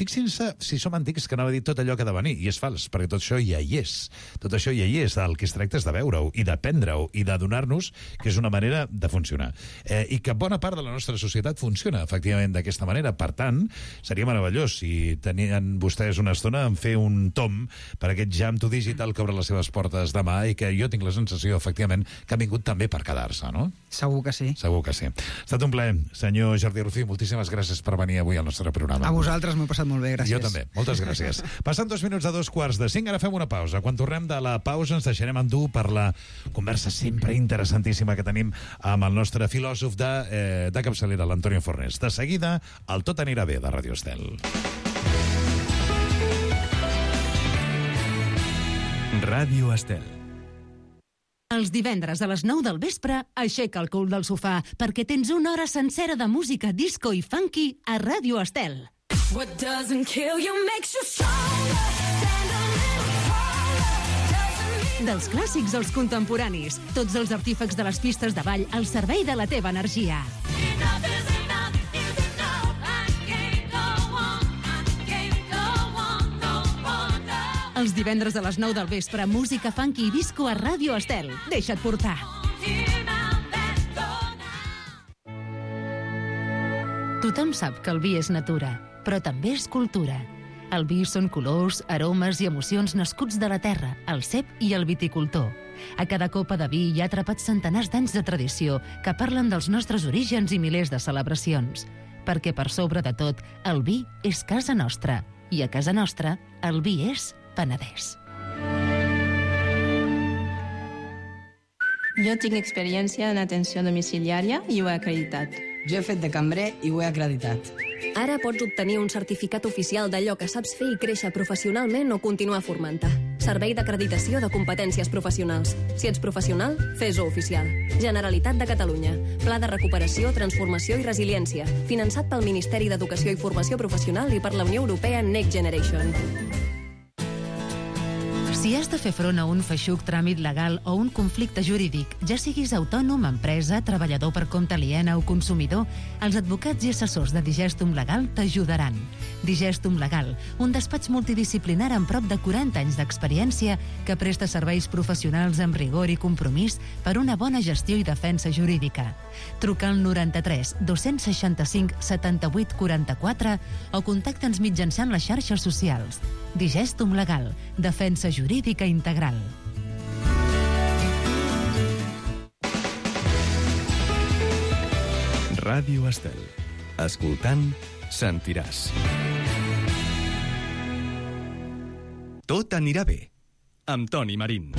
Fixin-se, si som antics, que anava a dir tot allò que ha de venir, i és fals, perquè tot això ja hi és. Tot això ja hi és. El que es tracta és de veure-ho, i d'aprendre-ho, i de donar-nos que és una manera de funcionar. I que bona part de la nostra societat funciona, efectivament, d'aquesta manera. Per tant, seria meravellós si tenien vostès una estona en fer un tom per aquest Jam to Digital que obre les seves portes demà i que jo tinc la sensació, efectivament, que ha vingut també per quedar-se, no? Segur que sí. Segur que sí. Ha estat un plaer. Senyor Jordi Rufí, moltíssimes gràcies per venir avui al nostre programa. A vosaltres m'ho he passat molt bé, gràcies. Jo també, moltes gràcies. Passant 2 minuts a 2:45, ara fem una pausa. Quan tornem de la pausa ens deixarem endur per la conversa sempre interessantíssima que tenim amb el nostre filòsof de capçalera, l'Antonio Fornés. De seguida, el Tot anirà bé, de Ràdio Estel. Ràdio Estel. Els divendres a les 9 del vespre, aixeca el cul del sofà, perquè tens una hora sencera de música disco i funky a Ràdio Estel. What doesn't kill you makes you stronger. Stand a little taller. Dels clàssics als contemporanis, tots els artífecs de les pistes de ball al servei de la teva energia. Enough is enough is enough. I can't go on, no wonder. Els divendres a les 9 del vespre, música funky i disco a Ràdio Estel. Deixa't portar. Tothom sap que el vi és natura, però també és cultura. El vi són colors, aromes i emocions nascuts de la terra, el cep i el viticultor. A cada copa de vi hi ha atrapats centenars d'anys de tradició que parlen dels nostres orígens i milers de celebracions. Perquè per sobre de tot, el vi és casa nostra. I a casa nostra, el vi és Penedès. Jo tinc experiència en atenció domiciliària i ho he acreditat. Jo he fet de cambrer i ho he acreditat. Ara pots obtenir un certificat oficial d'allò que saps fer i créixer professionalment o continuar formant-te. Servei d'acreditació de competències professionals. Si ets professional, fes-ho oficial. Generalitat de Catalunya. Pla de recuperació, transformació i resiliència. Finançat pel Ministeri d'Educació i Formació Professional i per la Unió Europea Next Generation. Si Si has de fer front a un feixuc tràmit legal o un conflicte jurídic, ja siguis autònom, empresa, treballador per compte aliena o consumidor, els advocats i assessors de Digestum Legal t'ajudaran. Digestum Legal, un despatx multidisciplinar amb prop de 40 anys d'experiència que presta serveis professionals amb rigor i compromís per una bona gestió i defensa jurídica. Truca al 93 265 78 44 o contacta'ns mitjançant les xarxes socials. Digestum Legal, defensa jurídica integral. Ràdio Estel. Escoltant, sentiràs. Tot anirà bé, amb Toni Marín.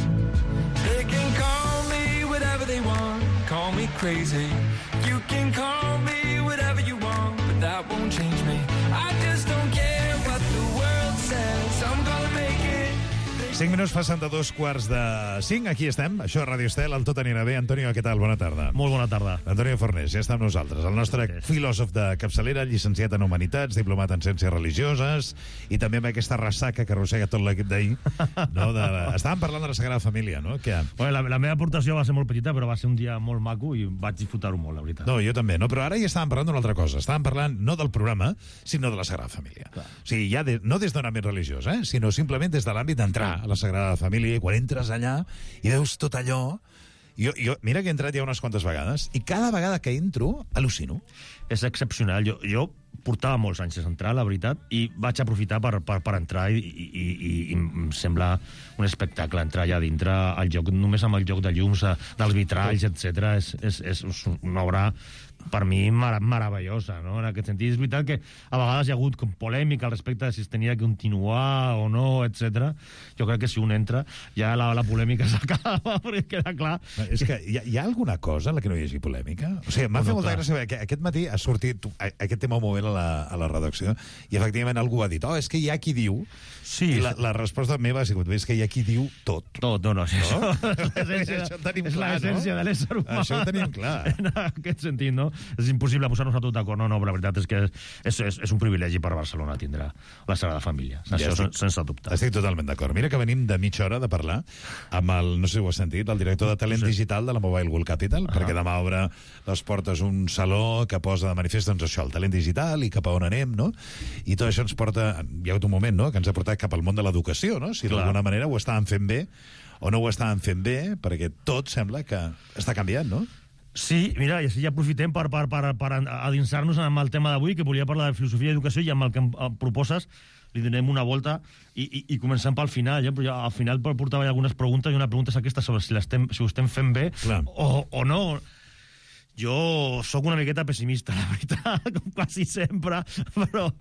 They can call me whatever they want, call me crazy. You can call me whatever you want, but that won't change me. I just don't care what the world says, I'm gonna make it. 5 minuts passen de 2:45. Aquí estem, això és Ràdio Estel, el Tot anirà bé. Antonio, què tal? Bona tarda. Molt bona tarda. Antonio Fornés, ja està amb nosaltres. El nostre filòsof de capçalera, llicenciat en Humanitats, diplomat en Ciències Religioses, i també amb aquesta ressaca que arrossega tot l'equip d'ahir. No? Estàvem parlant de la Sagrada Família, no? Bueno, la meva aportació va ser molt petita, però va ser un dia molt maco i vaig disfrutar-ho molt, la veritat. No, jo també, no? Però ara ja estàvem parlant d'una altra cosa. Estàvem parlant no del programa, sinó de la Sagrada Família. Clar. O sigui, ja no des d'un àmbit religiós, sinó simplement des de l'àmbit d'entrar a la Sagrada Família, i quan entres allà i veus tot allò... Jo, mira que he entrat ja unes quantes vegades i cada vegada que entro al·lucino. És excepcional. Jo portava molts anys sense entrar, la veritat, i vaig aprofitar per entrar i em sembla un espectacle entrar allà dintre, només amb el joc de llums, dels vitralls, etc. És una obra per mi meravellosa, no? En aquest sentit, és veritat que a vegades hi ha hagut com polèmica al respecte de si es tenia que continuar o no, etc. Jo crec que si un entra, ja la polèmica s'acaba, perquè queda clar. És que hi ha alguna cosa en la que no hi hagi polèmica? O sigui, m'ha fet molta gràcia que aquest matí ha sortit aquest tema un moment a la redacció i efectivament algú ha dit, és que hi ha qui diu... Sí. I la resposta meva ha sigut, és que hi ha qui diu tot. Tot, no, això és l'essència de l'ésser humà. Això ho tenim clar. En aquest sentit, no? És impossible posar-nos a tot d'acord. No, però la veritat és que és un privilegi per Barcelona tindrà la Sagrada Família. Això sense dubte. Estic totalment d'acord. Mira que venim de mitja hora de parlar amb el, no sé si ho has sentit, el director de talent digital de la Mobile World Capital, perquè demà obre les portes un saló que posa de manifest, doncs això, el talent digital i cap a on anem, no? I tot això ens porta, hi ha hagut un moment, no?, que ens ha portat cap al món de l'educació, no? Si d'alguna manera ho estàvem fent bé o no ho estàvem fent bé, perquè tot sembla que està canviant, no? Sí, mira, i així ja aprofitem per adinsar-nos amb el tema d'avui, que volia parlar de filosofia i educació, i amb el que em proposes li donem una volta i comencem pel final. Però al final portava algunes preguntes, i una pregunta és aquesta sobre si ho estem fent bé o no. Jo sóc una miqueta pessimista, la veritat, com quasi sempre, però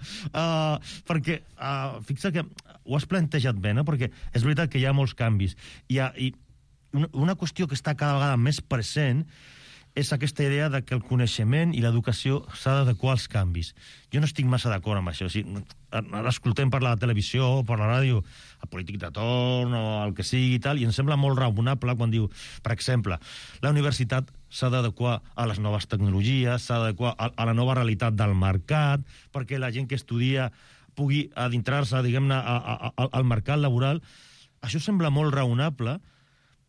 perquè fixa que ho has plantejat bé, no? Perquè és veritat que hi ha molts canvis i una qüestió que està cada vegada més present és aquesta idea de que el coneixement i l'educació s'ha d'adequar als canvis. Jo no estic massa d'acord amb això. O sigui, ara escoltem per la televisió, per la ràdio, el polític de torn o el que sigui i tal, i em sembla molt raonable quan diu, per exemple, la universitat s'ha d'adequar a les noves tecnologies, s'ha d'adequar a la nova realitat del mercat, perquè la gent que estudia pugui adentrar-se, diguem-ne, al mercat laboral. Això sembla molt raonable,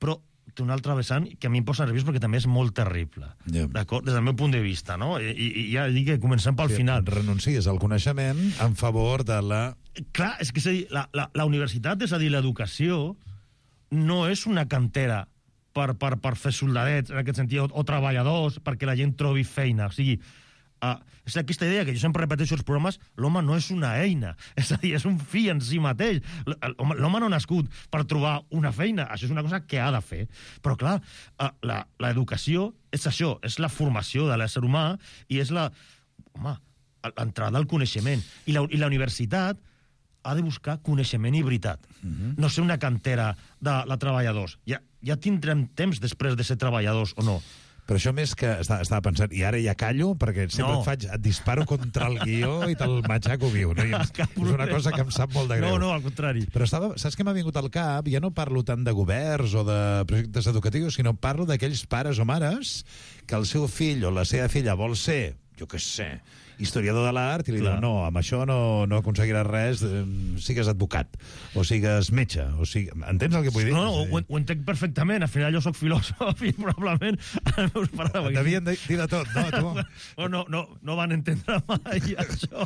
però té un altre vessant que a mi em posa nerviós perquè també és molt terrible, d'acord? Des del meu punt de vista, no? I ja dic que comencem pel final. Renuncies al coneixement en favor de la... Clar, és que és a dir, la universitat, és a dir, l'educació, no és una cantera per fer soldadets, en aquest sentit, o treballadors, perquè la gent trobi feina. O sigui, és aquesta idea que jo sempre repeteixo als programes, l'home no és una eina, és a dir, és un fi en si mateix. L'home no ha nascut per trobar una feina, això és una cosa que ha de fer. Però clar, l'educació és això, és la formació de l'ésser humà i és l'entrada al coneixement. I la universitat ha de buscar coneixement i veritat. No ser una cantera de treballadors. Ja tindrem temps després de ser treballadors o no. Però això més que estava pensant, i ara ja callo, perquè sempre et disparo contra el guió i te'l matxaco viu, no? És una cosa que em sap molt de greu. No, al contrari. Però saps què m'ha vingut al cap? Ja no parlo tant de governs o de projectes educatius, sinó parlo d'aquells pares o mares que el seu fill o la seva filla vol ser jo què sé, historiador de l'art, i li diu, no, amb això no aconseguiràs res, sigues advocat, o sigues metge, o sigui... Entens el que vull dir? No, ho entenc perfectament. Al final jo sóc filòsof i probablement els meus pares... Devien dir de tot, no? Tu? No van entendre mai això.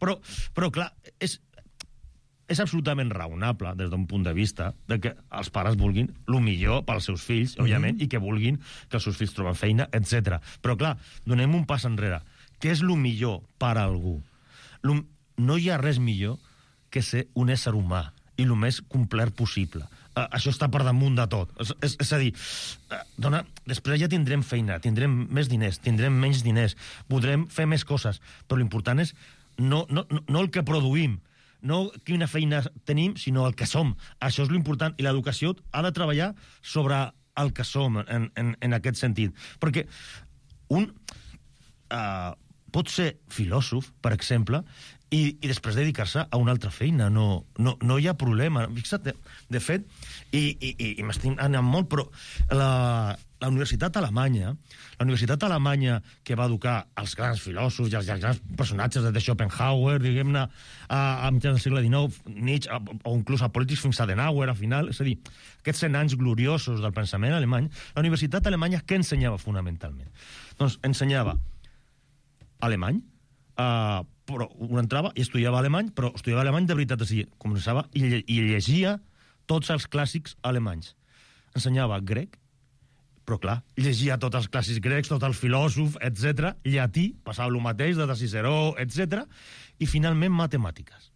Però clar, és absolutament raonable des d'un punt de vista de que els pares vulguin el millor pels seus fills, òbviament, i que vulguin que els seus fills troben feina, etc. Però clar, donem un pas enrere. Què és el millor per a algú? No hi ha res millor que ser un ésser humà i el més complet possible. Això està per damunt de tot. És a dir, després ja tindrem feina, tindrem més diners, tindrem menys diners, podrem fer més coses, però l'important és no el que produïm, no quina feina tenim, sinó el que som. Això és l'important. I l'educació ha de treballar sobre el que som, en aquest sentit. Perquè un pot ser filòsof, per exemple, i després dedicar-se a una altra feina. No hi ha problema. Fixa't, de fet, i m'estic anant molt, però la universitat alemanya que va educar els grans filòsofs i els grans personatges de Schopenhauer, diguem-ne, a mitjans del segle XIX, Nietzsche, o inclús a polítics fins a Adenauer, al final, és a dir, aquests 100 anys gloriosos del pensament alemany, la universitat alemanya què ensenyava fonamentalment? Doncs ensenyava alemany, però un entrava i estudiava alemany, però estudiava alemany de veritat, és a dir, començava i llegia tots els clàssics alemanys. Ensenyava grec, però clar, llegia tots els clàssics grecs, tots els filòsofs, etc. Llatí, passava el mateix, de Ciceró, etc. I finalment matemàtiques.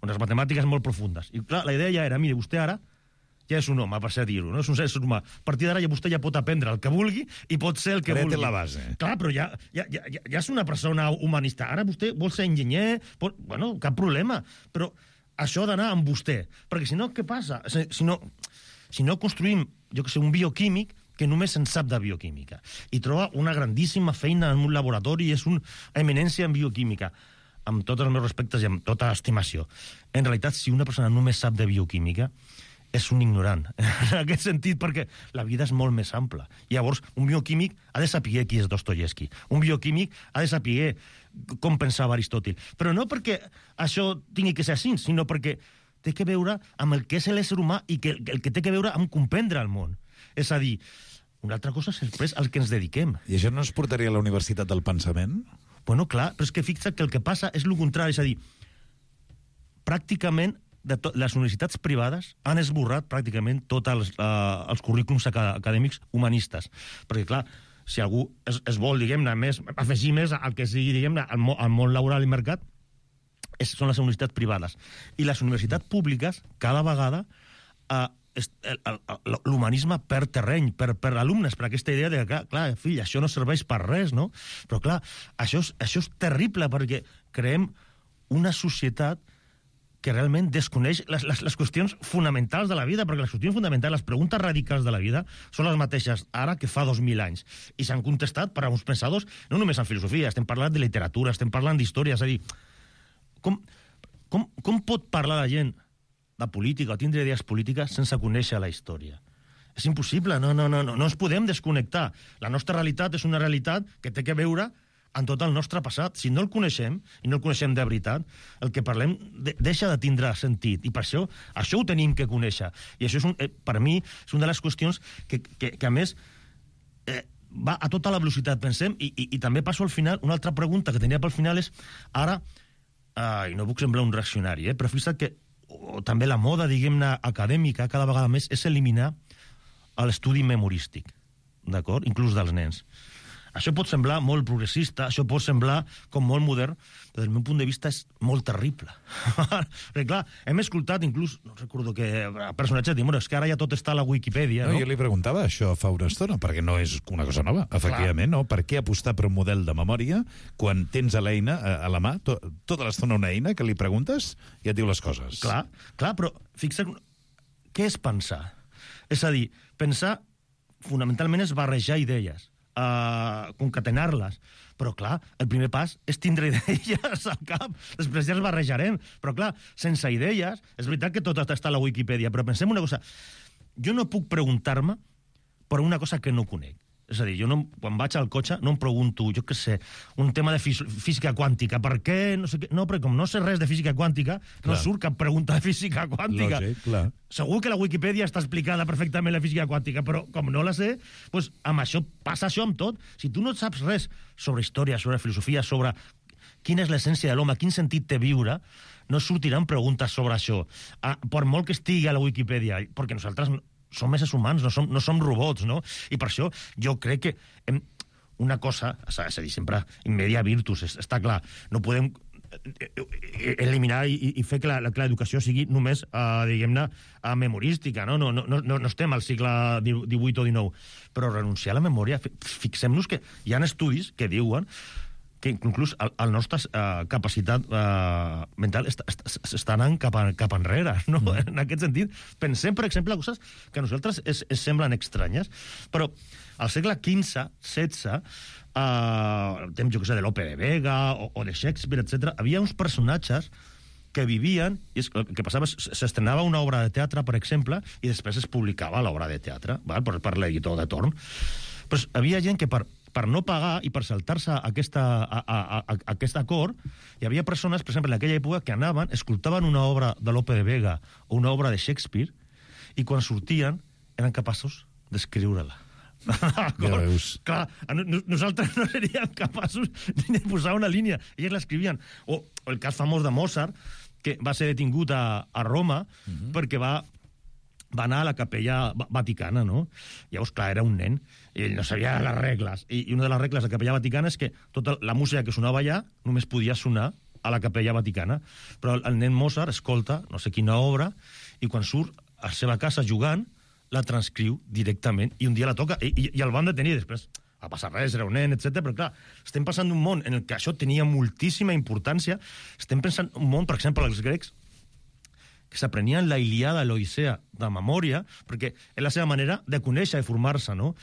Unes matemàtiques molt profundes. I clar, la idea ja era, mire, vostè ara ja és un home, per ser a dir-ho, no? És un ésser humà. A partir d'ara vostè ja pot aprendre el que vulgui i pot ser el que vulgui. la base. Clar, però ja és una persona humanista. Ara vostè vol ser enginyer, bueno, cap problema. Però això ha d'anar amb vostè. Perquè si no, què passa? Si no construïm, jo que sé, un bioquímic que només en sap de bioquímica i troba una grandíssima feina en un laboratori i és una eminència en bioquímica, amb tots els meus respectes i amb tota estimació. En realitat, si una persona només sap de bioquímica, és un ignorant, en aquest sentit, perquè la vida és molt més ampla. Llavors, un bioquímic ha de saber qui és Dostoyevsky. Un bioquímic ha de saber com pensava Aristòtil. Però no perquè això tingui que ser així, sinó perquè té que veure amb el que és l'ésser humà i el que té que veure amb comprendre el món. És a dir, una altra cosa és després al que ens dediquem. I això no es portaria a la Universitat del Pensament? Bueno, clar, però és que fixa't que el que passa és el contrari, és a dir, pràcticament les universitats privades han esborrat pràcticament tots els currículums acadèmics humanistes. Perquè, clar, si algú es vol, diguem-ne, afegir més al que sigui, diguem-ne, al món laboral i mercat, són les universitats privades. I les universitats públiques, cada vegada, l'humanisme perd terreny per alumnes, per aquesta idea de que, clar, fill, això no serveix per res, no? Però, clar, això és terrible, perquè creem una societat que realment desconeix les qüestions fonamentals de la vida, perquè les qüestions fonamentals, les preguntes radicals de la vida, són les mateixes ara que fa 2.000 anys. I s'han contestat per a uns pensadors, no només en filosofia, estem parlant de literatura, estem parlant d'història, és a dir, com pot parlar la gent de política o tindre idees polítiques sense conèixer la història? És impossible, no ens podem desconnectar. La nostra realitat és una realitat que té que veure amb tot el nostre passat. Si no el coneixem, i no el coneixem de veritat, el que parlem deixa de tindre sentit. I per això ho tenim que conèixer. I això, per mi, és una de les qüestions que a més, va a tota la velocitat, pensem, i també passo al final, una altra pregunta que tenia pel final és, ara, i no puc semblar un reaccionari, però fixa't que també la moda, diguem-ne, acadèmica, cada vegada més, és eliminar l'estudi memorístic, d'acord? Inclús dels nens. Això pot semblar molt progressista, això pot semblar com molt modern, però des del meu punt de vista és molt terrible. Perquè, clar, hem escoltat inclús, no recordo que personatges diuen, és que ara ja tot està a la Wikipedia, no? Jo li preguntava això fa una estona, perquè no és una cosa nova, efectivament, no? Per què apostar per un model de memòria quan tens a l'eina, a la mà, tota l'estona una eina que li preguntes i et diu les coses? Clar, però fixa't, què és pensar? És a dir, pensar fonamentalment és barrejar idees, concatenar-les. Però, clar, el primer pas és tindre idees al cap. Després ja els barrejarem. Però, clar, sense idees, és veritat que tot està a la Wikipedia, però pensem una cosa. Jo no puc preguntar-me per una cosa que no conec. És a dir, jo quan vaig al cotxe no em pregunto, jo què sé, un tema de física quàntica. Per què? No sé què. No, perquè com no sé res de física quàntica, no surt cap pregunta de física quàntica. Lògic, clar. Segur que la Wikipedia està explicada perfectament la física quàntica, però com no la sé, doncs amb això passa això amb tot. Si tu no saps res sobre història, sobre filosofia, sobre quina és l'essència de l'home, quin sentit té viure, no sortiran preguntes sobre això. Per molt que estigui a la Wikipedia, perquè nosaltres som éssers humans, no som robots, no? I per això jo crec que una cosa, és a dir, sempre in media virtus, està clar, no podem eliminar i fer que l'educació sigui només, diguem-ne, memorística, no? No estem al segle XVIII o XIX, però renunciar a la memòria, fixem-nos que hi ha estudis que diuen que inclús la nostra capacitat mental està anant cap enrere, no? En aquest sentit, pensem, per exemple, coses que a nosaltres es semblen estranyes, però al segle XV, XVI, el temps, jo què sé, de Lope de Vega o de Shakespeare, etc., havia uns personatges que vivien, i el que passava, s'estrenava una obra de teatre, per exemple, i després es publicava l'obra de teatre, per l'editor de torn. Però havia gent que per no pagar i per saltar-se aquest acord, hi havia persones, per exemple, en aquella època, que anaven, escoltaven una obra de Lope de Vega o una obra de Shakespeare, i quan sortien eren capaços d'escriure-la. Ja veus. Clar, nosaltres no seríem capaços de posar una línia. Ells l'escrivien. O el cas famós de Mozart, que va ser detingut a Roma perquè va anar a la capella vaticana, no? Llavors, clar, era un nen, i ell no sabia les regles. I una de les regles de la capella vaticana és que tota la música que sonava allà només podia sonar a la capella vaticana. Però el nen Mozart escolta no sé quina obra i quan surt a la seva casa jugant la transcriu directament i un dia la toca i el van detenir després. Va passar res, era un nen, etc. Però clar, estem passant d'un món en què això tenia moltíssima importància. Estem pensant un món, per exemple, els grecs, que s'aprenien la Ilíada i l'Odissea de memòria, perquè és la seva manera de conèixer i formar-se, no?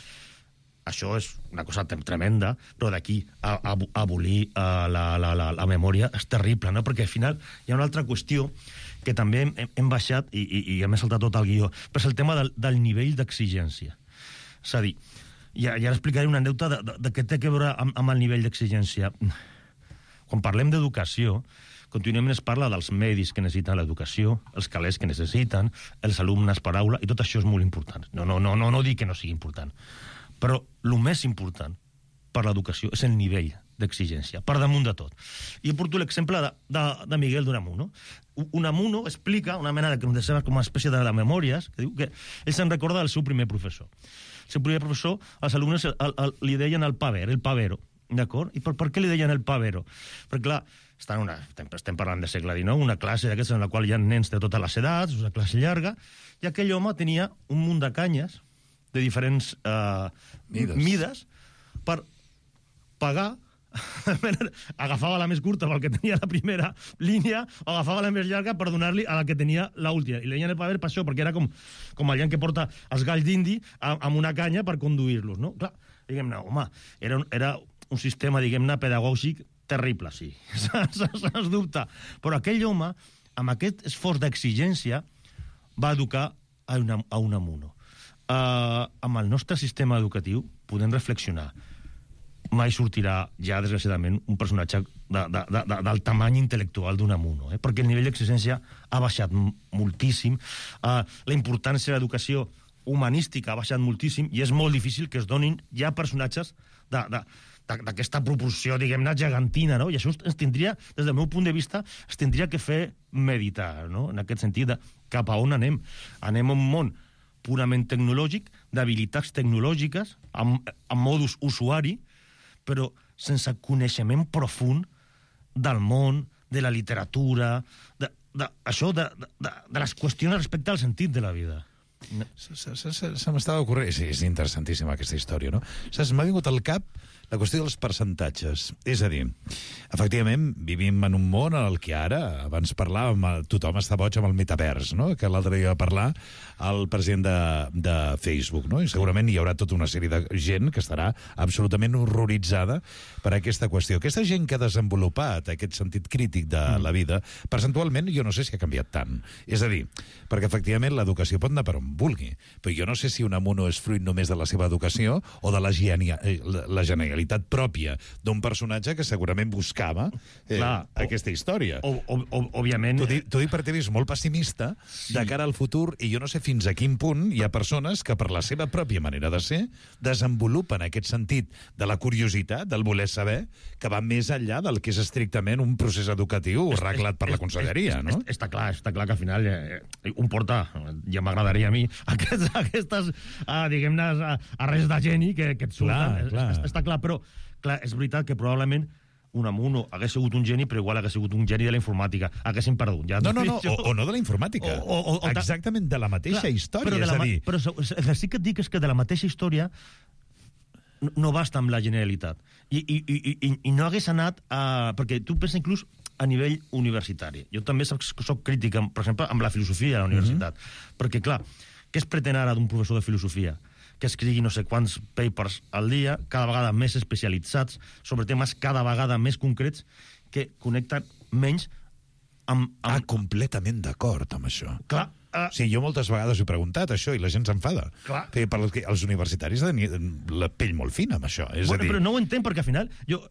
Això és una cosa tremenda, però d'aquí a abolir la memòria és terrible, no? Perquè al final hi ha una altra qüestió que també hem baixat i hem saltat tot el guió, però és el tema del nivell d'exigència. És a dir, i ara explicaré una anècdota de què té a veure amb el nivell d'exigència. Quan parlem d'educació, contínuament es parla dels medis que necessiten l'educació, els calés que necessiten, els alumnes per aula, i tot això és molt important. No dic que no sigui important. Però el més important per l'educació és el nivell d'exigència, per damunt de tot. I porto l'exemple de Miguel d'Unamuno. Unamuno explica una mena com una espècie de memòries, que diu que ell se'n recorda del seu primer professor. El seu primer professor, els alumnes li deien el pavero, d'acord? I per què li deien el pavero? Perquè, clar, estem parlant del segle XIX, una classe d'aquestes en la qual hi ha nens de totes les edats, una classe llarga, i aquell home tenia un munt de canyes de diferents mides per pagar. Agafava la més curta pel que tenia la primera línia o agafava la més llarga per donar-li a la que tenia l'última. I li deien el paver per això, perquè era com el gent que porta els galls d'indi amb una canya per conduir-los, no? Clar, diguem-ne, home, era un sistema, diguem-ne, pedagògic terrible, sí, sens dubte. Però aquell home, amb aquest esforç d'exigència, va educar a Unamuno. Amb el nostre sistema educatiu podem reflexionar. Mai sortirà ja, desgraciadament, un personatge del tamany intel·lectual d'Unamuno, perquè el nivell d'exigència ha baixat moltíssim, la importància de l'educació humanística ha baixat moltíssim i és molt difícil que es donin ja personatges d'aquesta proporció, diguem-ne, gegantina, no? I això ens tindria, des del meu punt de vista, es tindria que fer meditar, no? En aquest sentit, cap a on anem? Anem a un món purament tecnològic, d'habilitats tecnològiques, amb modus usuari, però sense coneixement profund del món, de la literatura, de les qüestions respecte al sentit de la vida. Se m'estava ocorrent... Sí, és interessantíssima aquesta història, no? Saps, m'ha vingut al cap la qüestió dels percentatges. És a dir, efectivament, vivim en un món en el que ara, abans parlàvem, tothom està boig amb el metavers, no? Que l'altre dia va parlar el president de Facebook, no? I segurament hi haurà tota una sèrie de gent que estarà absolutament horroritzada per aquesta qüestió. Aquesta gent que ha desenvolupat aquest sentit crític de la vida, percentualment jo no sé si ha canviat tant. És a dir, perquè efectivament l'educació pot anar per on vulgui, però jo no sé si Unamuno és fruit només de la seva educació o de la genialitat pròpia d'un personatge que segurament buscava aquesta història. Òbviament... T'ho dic perquè t'he vist molt pessimista de cara al futur i jo no sé fins a quin punt hi ha persones que per la seva pròpia manera de ser desenvolupen aquest sentit de la curiositat, del voler saber, que va més enllà del que és estrictament un procés educatiu reglat per la conselleria, no? Està clar que al final un porta, ja m'agradaria a mi, aquestes, diguem-ne, arrests de geni que et surten. Està clar, però clar, és veritat que probablement Unamuno hagués sigut un geni, però igual hagués sigut un geni de la informàtica. Haguéssim perdut. Ja no, o no de la informàtica. Exactament de la mateixa història. Però sí que et dic és que de la mateixa història no basta amb la generalitat. I no hagués anat a... Perquè tu pensa inclús a nivell universitari. Jo també soc crític, per exemple, amb la filosofia a la universitat. Perquè, clar, què es pretén ara d'un professor de filosofia? Que escrigui no sé quants papers al dia, cada vegada més especialitzats, sobre temes cada vegada més concrets, que connecten menys amb... completament d'acord amb això. Clar. Sí, jo moltes vegades he preguntat això i la gent s'enfada. Clar. Perquè els universitaris tenen la pell molt fina amb això. Però no ho entenc, perquè al final... Jo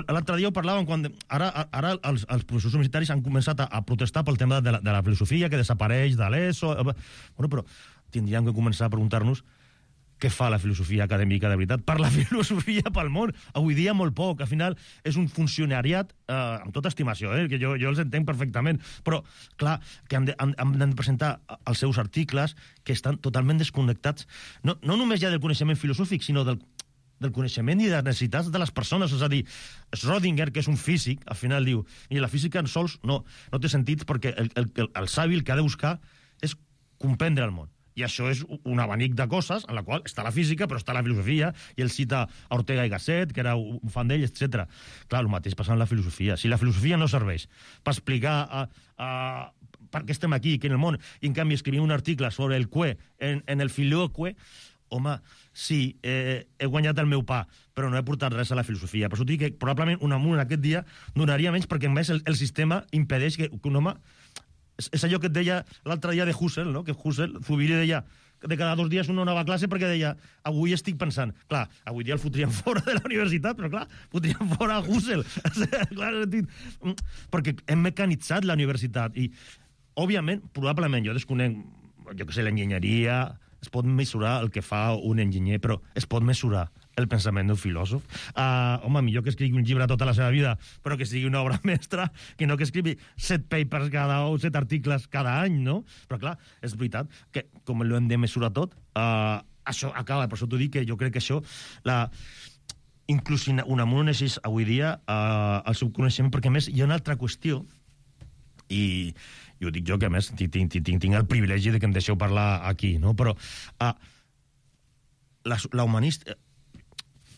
l'altre dia ho parlàvem quan... Ara els professors universitaris han començat a protestar pel tema de la filosofia, que desapareix de l'ESO... Bueno, però tindríem que començar a preguntar-nos què fa la filosofia acadèmica de veritat per la filosofia pel món. Avui dia molt poc. Al final és un funcionariat, amb tota estimació, que jo els entenc perfectament, però, clar, que han de presentar els seus articles que estan totalment desconnectats, no només ja del coneixement filosòfic, sinó del coneixement i de les necessitats de les persones. És a dir, Schrödinger, que és un físic, al final diu, i la física en sols no té sentit perquè el savi el que ha de buscar és comprendre el món. I això és un abanic de coses en la qual està la física, però està la filosofia, i ell cita Ortega y Gasset, que era un fan d'ell, etc. Clar, el mateix passa amb la filosofia. Si la filosofia no serveix per explicar per què estem aquí, que en el món, i en canvi escrivim un article sobre el que en el filioque, home, sí, he guanyat el meu pa, però no he portat res a la filosofia. Per això dic que probablement Unamuno en aquest dia donaria menys, perquè a més el sistema impedeix que un home... És allò que et deia l'altre dia de Husserl, no? Que Husserl, Zubiri, deia de cada 2 dies una nova classe perquè deia avui estic pensant. Clar, avui dia el fotríem fora de la universitat, però clar, fotríem fora a Husserl. Clar, perquè hem mecanitzat la universitat i, òbviament, probablement, jo desconec, jo que sé, l'enginyeria, es pot mesurar el que fa un enginyer, però es pot mesurar el pensament d'un filòsof. Home, millor que escrigui un llibre tota la seva vida, però que sigui una obra mestra, que no que escrigui 7 papers o 7 articles cada any, no? Però clar, és veritat que com ho hem de mesurar tot, això acaba. Per això t'ho dic que jo crec que això... Inclús Unamuno necessita avui dia el seu coneixement, perquè a més hi ha una altra qüestió, i ho dic jo, que a més tinc el privilegi de que em deixeu parlar aquí, no? Però la humanista...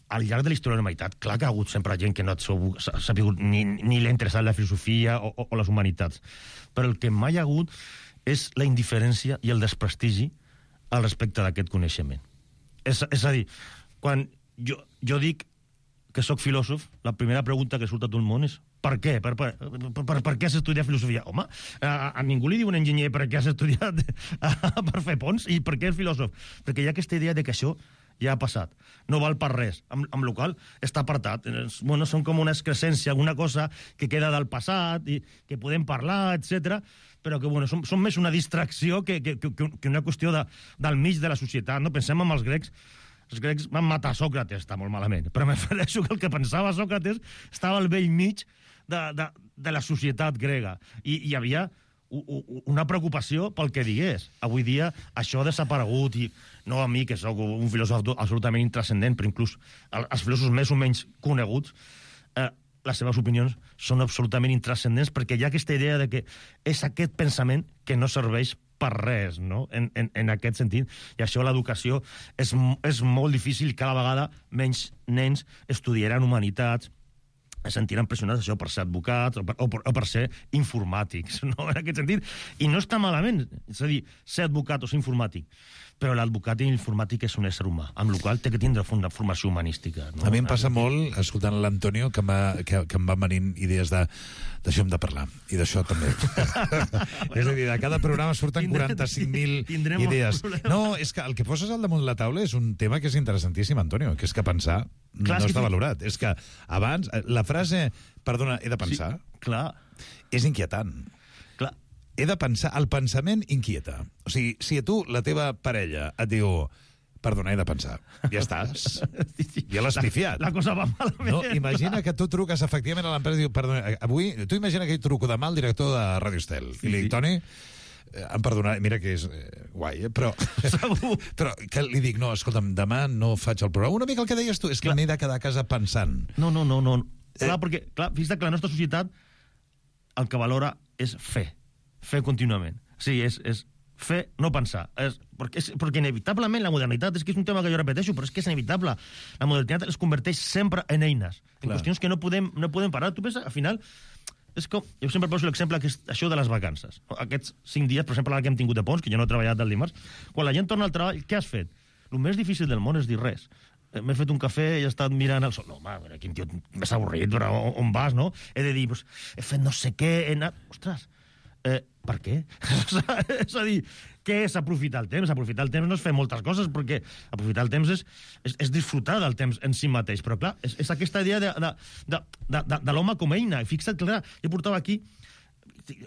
Al llarg de la història de la humanitat, clar que ha hagut sempre gent que no ha sabut ni l'ha interessat la filosofia o les humanitats. Però el que mai ha hagut és la indiferència i el desprestigi al respecte d'aquest coneixement. És a dir, quan jo dic que sóc filòsof, la primera pregunta que surt a tot el món és per què? Per què has estudiat filosofia? Home, a ningú li diu un enginyer per què has estudiat per fer ponts i per què és filòsof. Perquè hi ha aquesta idea de que això ja ha passat, no val per res, amb la qual està apartat. Bueno, són com una excrescència, alguna cosa que queda del passat i que podem parlar, etc. però que bueno, són més una distracció que una qüestió del mig de la societat. No? Pensem en els grecs. Els grecs van matar Sòcrates, està molt malament, però m'afereixo que el que pensava Sòcrates estava al vell mig de la societat grega. I hi havia una preocupació pel que digués. Avui dia això ha desaparegut i no a mi, que sóc un filòsof absolutament intrascendent, però inclús els filòsofs més o menys coneguts, les seves opinions són absolutament intrascendents perquè hi ha aquesta idea de que és aquest pensament que no serveix per res, no? En aquest sentit. I això l'educació és molt difícil. Cada vegada menys nens estudiaran humanitats, es sentiran pressionats això per ser advocats o per ser informàtics, no? En aquest sentit. I no està malament, és a dir, ser advocat o ser informàtic, però l'advocat i l'informàtic és un ésser humà, amb la qual té que tindre una formació humanística. No? A mi em passa molt, escoltant l'Antonio, que em van venint idees d'això hem de parlar, i d'això també. És a dir, de cada programa surten 45.000 idees. No, és que el que poses al damunt de la taula és un tema que és interessantíssim, Antonio, que és que pensar no està valorat. És que abans, la frase, perdona, he de pensar, és inquietant. He de pensar, el pensament inquieta. O sigui, si a tu, la teva parella, et diu, perdona, he de pensar, ja estàs. Ja l'has pifiat. La cosa va malament. No, imagina que tu truques efectivament a l'empresa i diu, perdona, avui, tu imagina que jo truco demà al director de Radio Estel i li dic, Toni, em perdonarà, mira que és guai, però que li dic, no, escolta'm, demà no faig el programa. Una mica el que deies tu, és que m'he de quedar a casa pensant. No. Clar, perquè, fixa't que la nostra societat el que valora és fer contínuament. Sí, és fer, no pensar. Perquè inevitablement la modernitat, és que és un tema que jo repeteixo, però és que és inevitable. La modernitat es converteix sempre en eines, en qüestions que no podem parar. Tu penses, al final, és com, jo sempre poso l'exemple que és això de les vacances. Aquests 5 dies, per exemple, ara que hem tingut de ponts, que jo no he treballat el dimarts, quan la gent torna al treball, què has fet? El més difícil del món és dir res. M'he fet un cafè i he estat mirant el sol. No, home, quin tio més avorrit, però on vas, no? He de dir, pues, he fet no sé què, he anat... Ostres, per què? És a dir, què és aprofitar el temps? Aprofitar el temps no és fer moltes coses, perquè aprofitar el temps és disfrutar del temps en si mateix. Però, clar, és aquesta idea de l'home com a eina. I fixa't, clar, jo portava aquí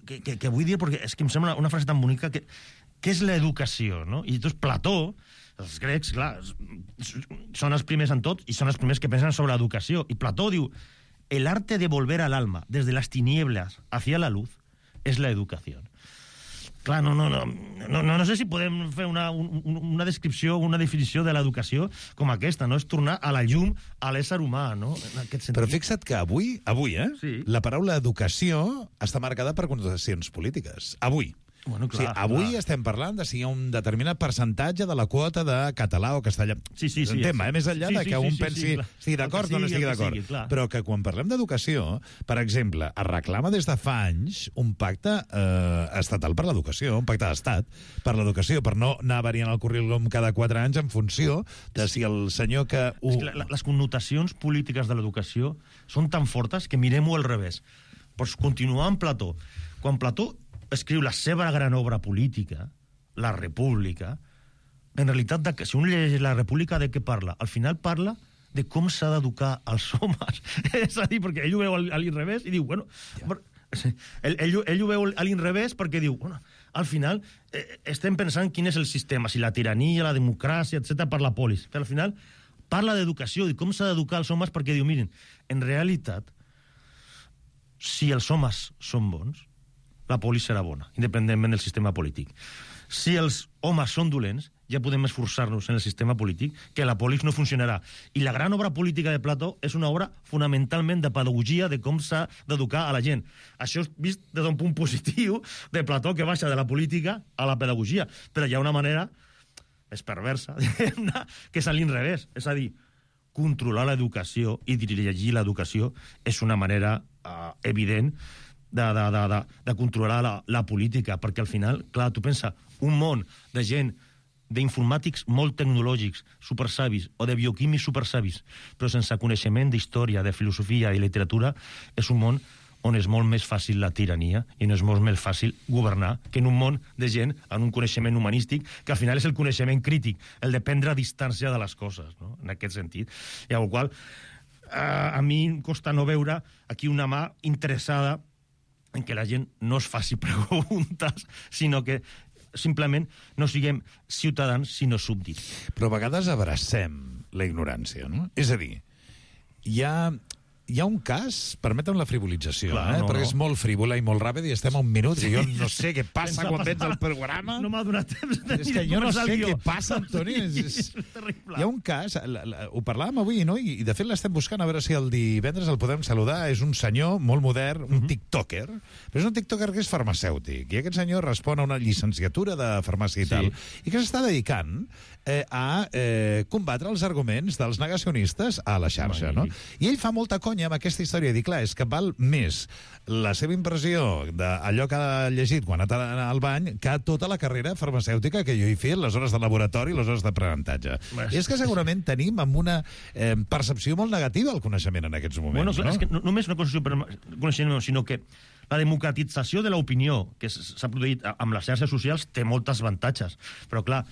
que vull dir, perquè és que em sembla una frase tan bonica, que és l'educació, no? I doncs Plató, els grecs, clar, són els primers en tot i són els primers que pensen sobre l'educació. I Plató diu, el arte de volver al alma desde las tinieblas hacia la luz és l'educació. Clar, no sé si podem fer una descripció, una definició de l'educació com aquesta, no? És tornar a la llum a l'ésser humà, no? En aquest sentit. Però fixa't que avui, sí, la paraula educació està marcada per connotacions polítiques. Avui. Bueno, clar, o sigui, avui estem parlant de si hi ha un determinat percentatge de la quota de català o castellà. Sí, és un tema, més enllà de que un pensi estigui d'acord o no estigui d'acord. Però que quan parlem d'educació, per exemple, es reclama des de fa anys un pacte estatal per l'educació, un pacte d'estat per l'educació, per no anar variant el currículum cada 4 anys en funció de si el senyor que... Les connotacions polítiques de l'educació són tan fortes que mirem-ho al revés. Pots continuar amb Plató. Quan Plató escriu la seva gran obra política, la República, en realitat, si un llegeix la República, de què parla? Al final parla de com s'ha d'educar els homes. És a dir, perquè ell ho veu a l'inrevés i diu, bueno... Ell ho veu a l'inrevés perquè diu, bueno, al final estem pensant quin és el sistema, si la tirania, la democràcia, etc per la polis. Però al final parla d'educació i com s'ha d'educar els homes perquè diu, miren, en realitat, si els homes són bons, la polis serà bona, independentment del sistema polític. Si els homes són dolents, ja podem esforçar-nos en el sistema polític, que la polis no funcionarà. I la gran obra política de Plató és una obra fonamentalment de pedagogia de com s'ha d'educar a la gent. Això és vist des d'un punt positiu de Plató, que baixa de la política a la pedagogia. Però hi ha una manera més perversa, que és a l'inrevés. És a dir, controlar l'educació i dirigir l'educació és una manera evident de controlar la política, perquè al final, clar, tu pensa, un món de gent, d'informàtics molt tecnològics, supersavis, o de bioquímics supersavis, però sense coneixement d'història, de filosofia i literatura, és un món on és molt més fàcil la tirania i no és molt més fàcil governar que en un món de gent amb un coneixement humanístic, que al final és el coneixement crític, el de prendre distància de les coses, no? En aquest sentit. I amb el qual a mi em costa no veure aquí una mà interessada en què la gent no es faci preguntes, sinó que simplement no siguem ciutadans, sinó súbdits. Però a vegades abracem la ignorància, no? És a dir, hi ha Hi ha un cas, permetem la frivolització, Clar, perquè és molt frívola i molt ràpida i estem a un minut i jo no sé què passa quan vens al programa. No m'ha donat temps. És que jo no sé què passa, Antoni. És terrible. Hi ha un cas, ho parlàvem avui, no? I de fet l'estem buscant a veure si el divendres el podem saludar. És un senyor molt modern, un tiktoker, però és un tiktoker que és farmacèutic. I aquest senyor respon a una llicenciatura de farmàcia i tal, i que s'està dedicant a combatre els arguments dels negacionistes a la xarxa, no? I ell fa molta conya amb aquesta història, i dic, clar, és que val més la seva impressió d'allò que ha llegit quan ha anat al bany que tota la carrera farmacèutica que jo he fet, les hores de laboratori, les hores d'aprenentatge. I és que segurament tenim amb una percepció molt negativa el coneixement en aquests moments. Bueno, és que no només una coneixement, sinó que la democratització de l'opinió que s'ha produït amb les xarxes socials té moltes avantatges, però clar,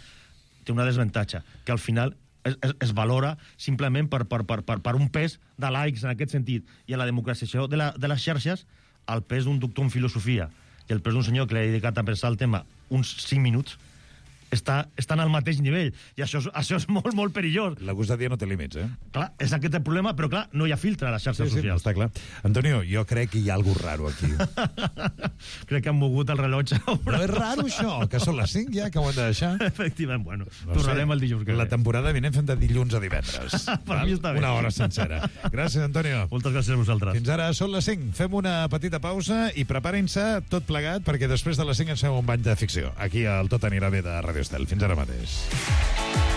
té una desavantatge, que al final es valora simplement per un pes de likes en aquest sentit, i a la democratització de les xarxes el pes d'un doctor en filosofia i el pes d'un senyor que l'ha dedicat a pensar el tema uns 5 minuts estan al mateix nivell, i això és molt, molt perillós. La gosadia no té límits, Clar, és aquest el problema, però clar, no hi ha filtre a les xarxes socials. Està clar. Antonio, jo crec que hi ha alguna cosa raro aquí. Crec que han mogut el rellotge. Però és raro això, que són les 5 ja, que ho hem de deixar. Efectivament, bueno, tornarem el dijous que ve. La temporada vinent fem de dilluns a divendres. Per mi està bé. Una hora sencera. Gràcies, Antonio. Moltes gràcies a vosaltres. Fins ara són les 5. Fem una petita pausa i preparin-se tot plegat, perquè després de les 5 ens fem un bany de ficció. Aquí al Tot anirà bé de Radio Estel. Fins ara mateix.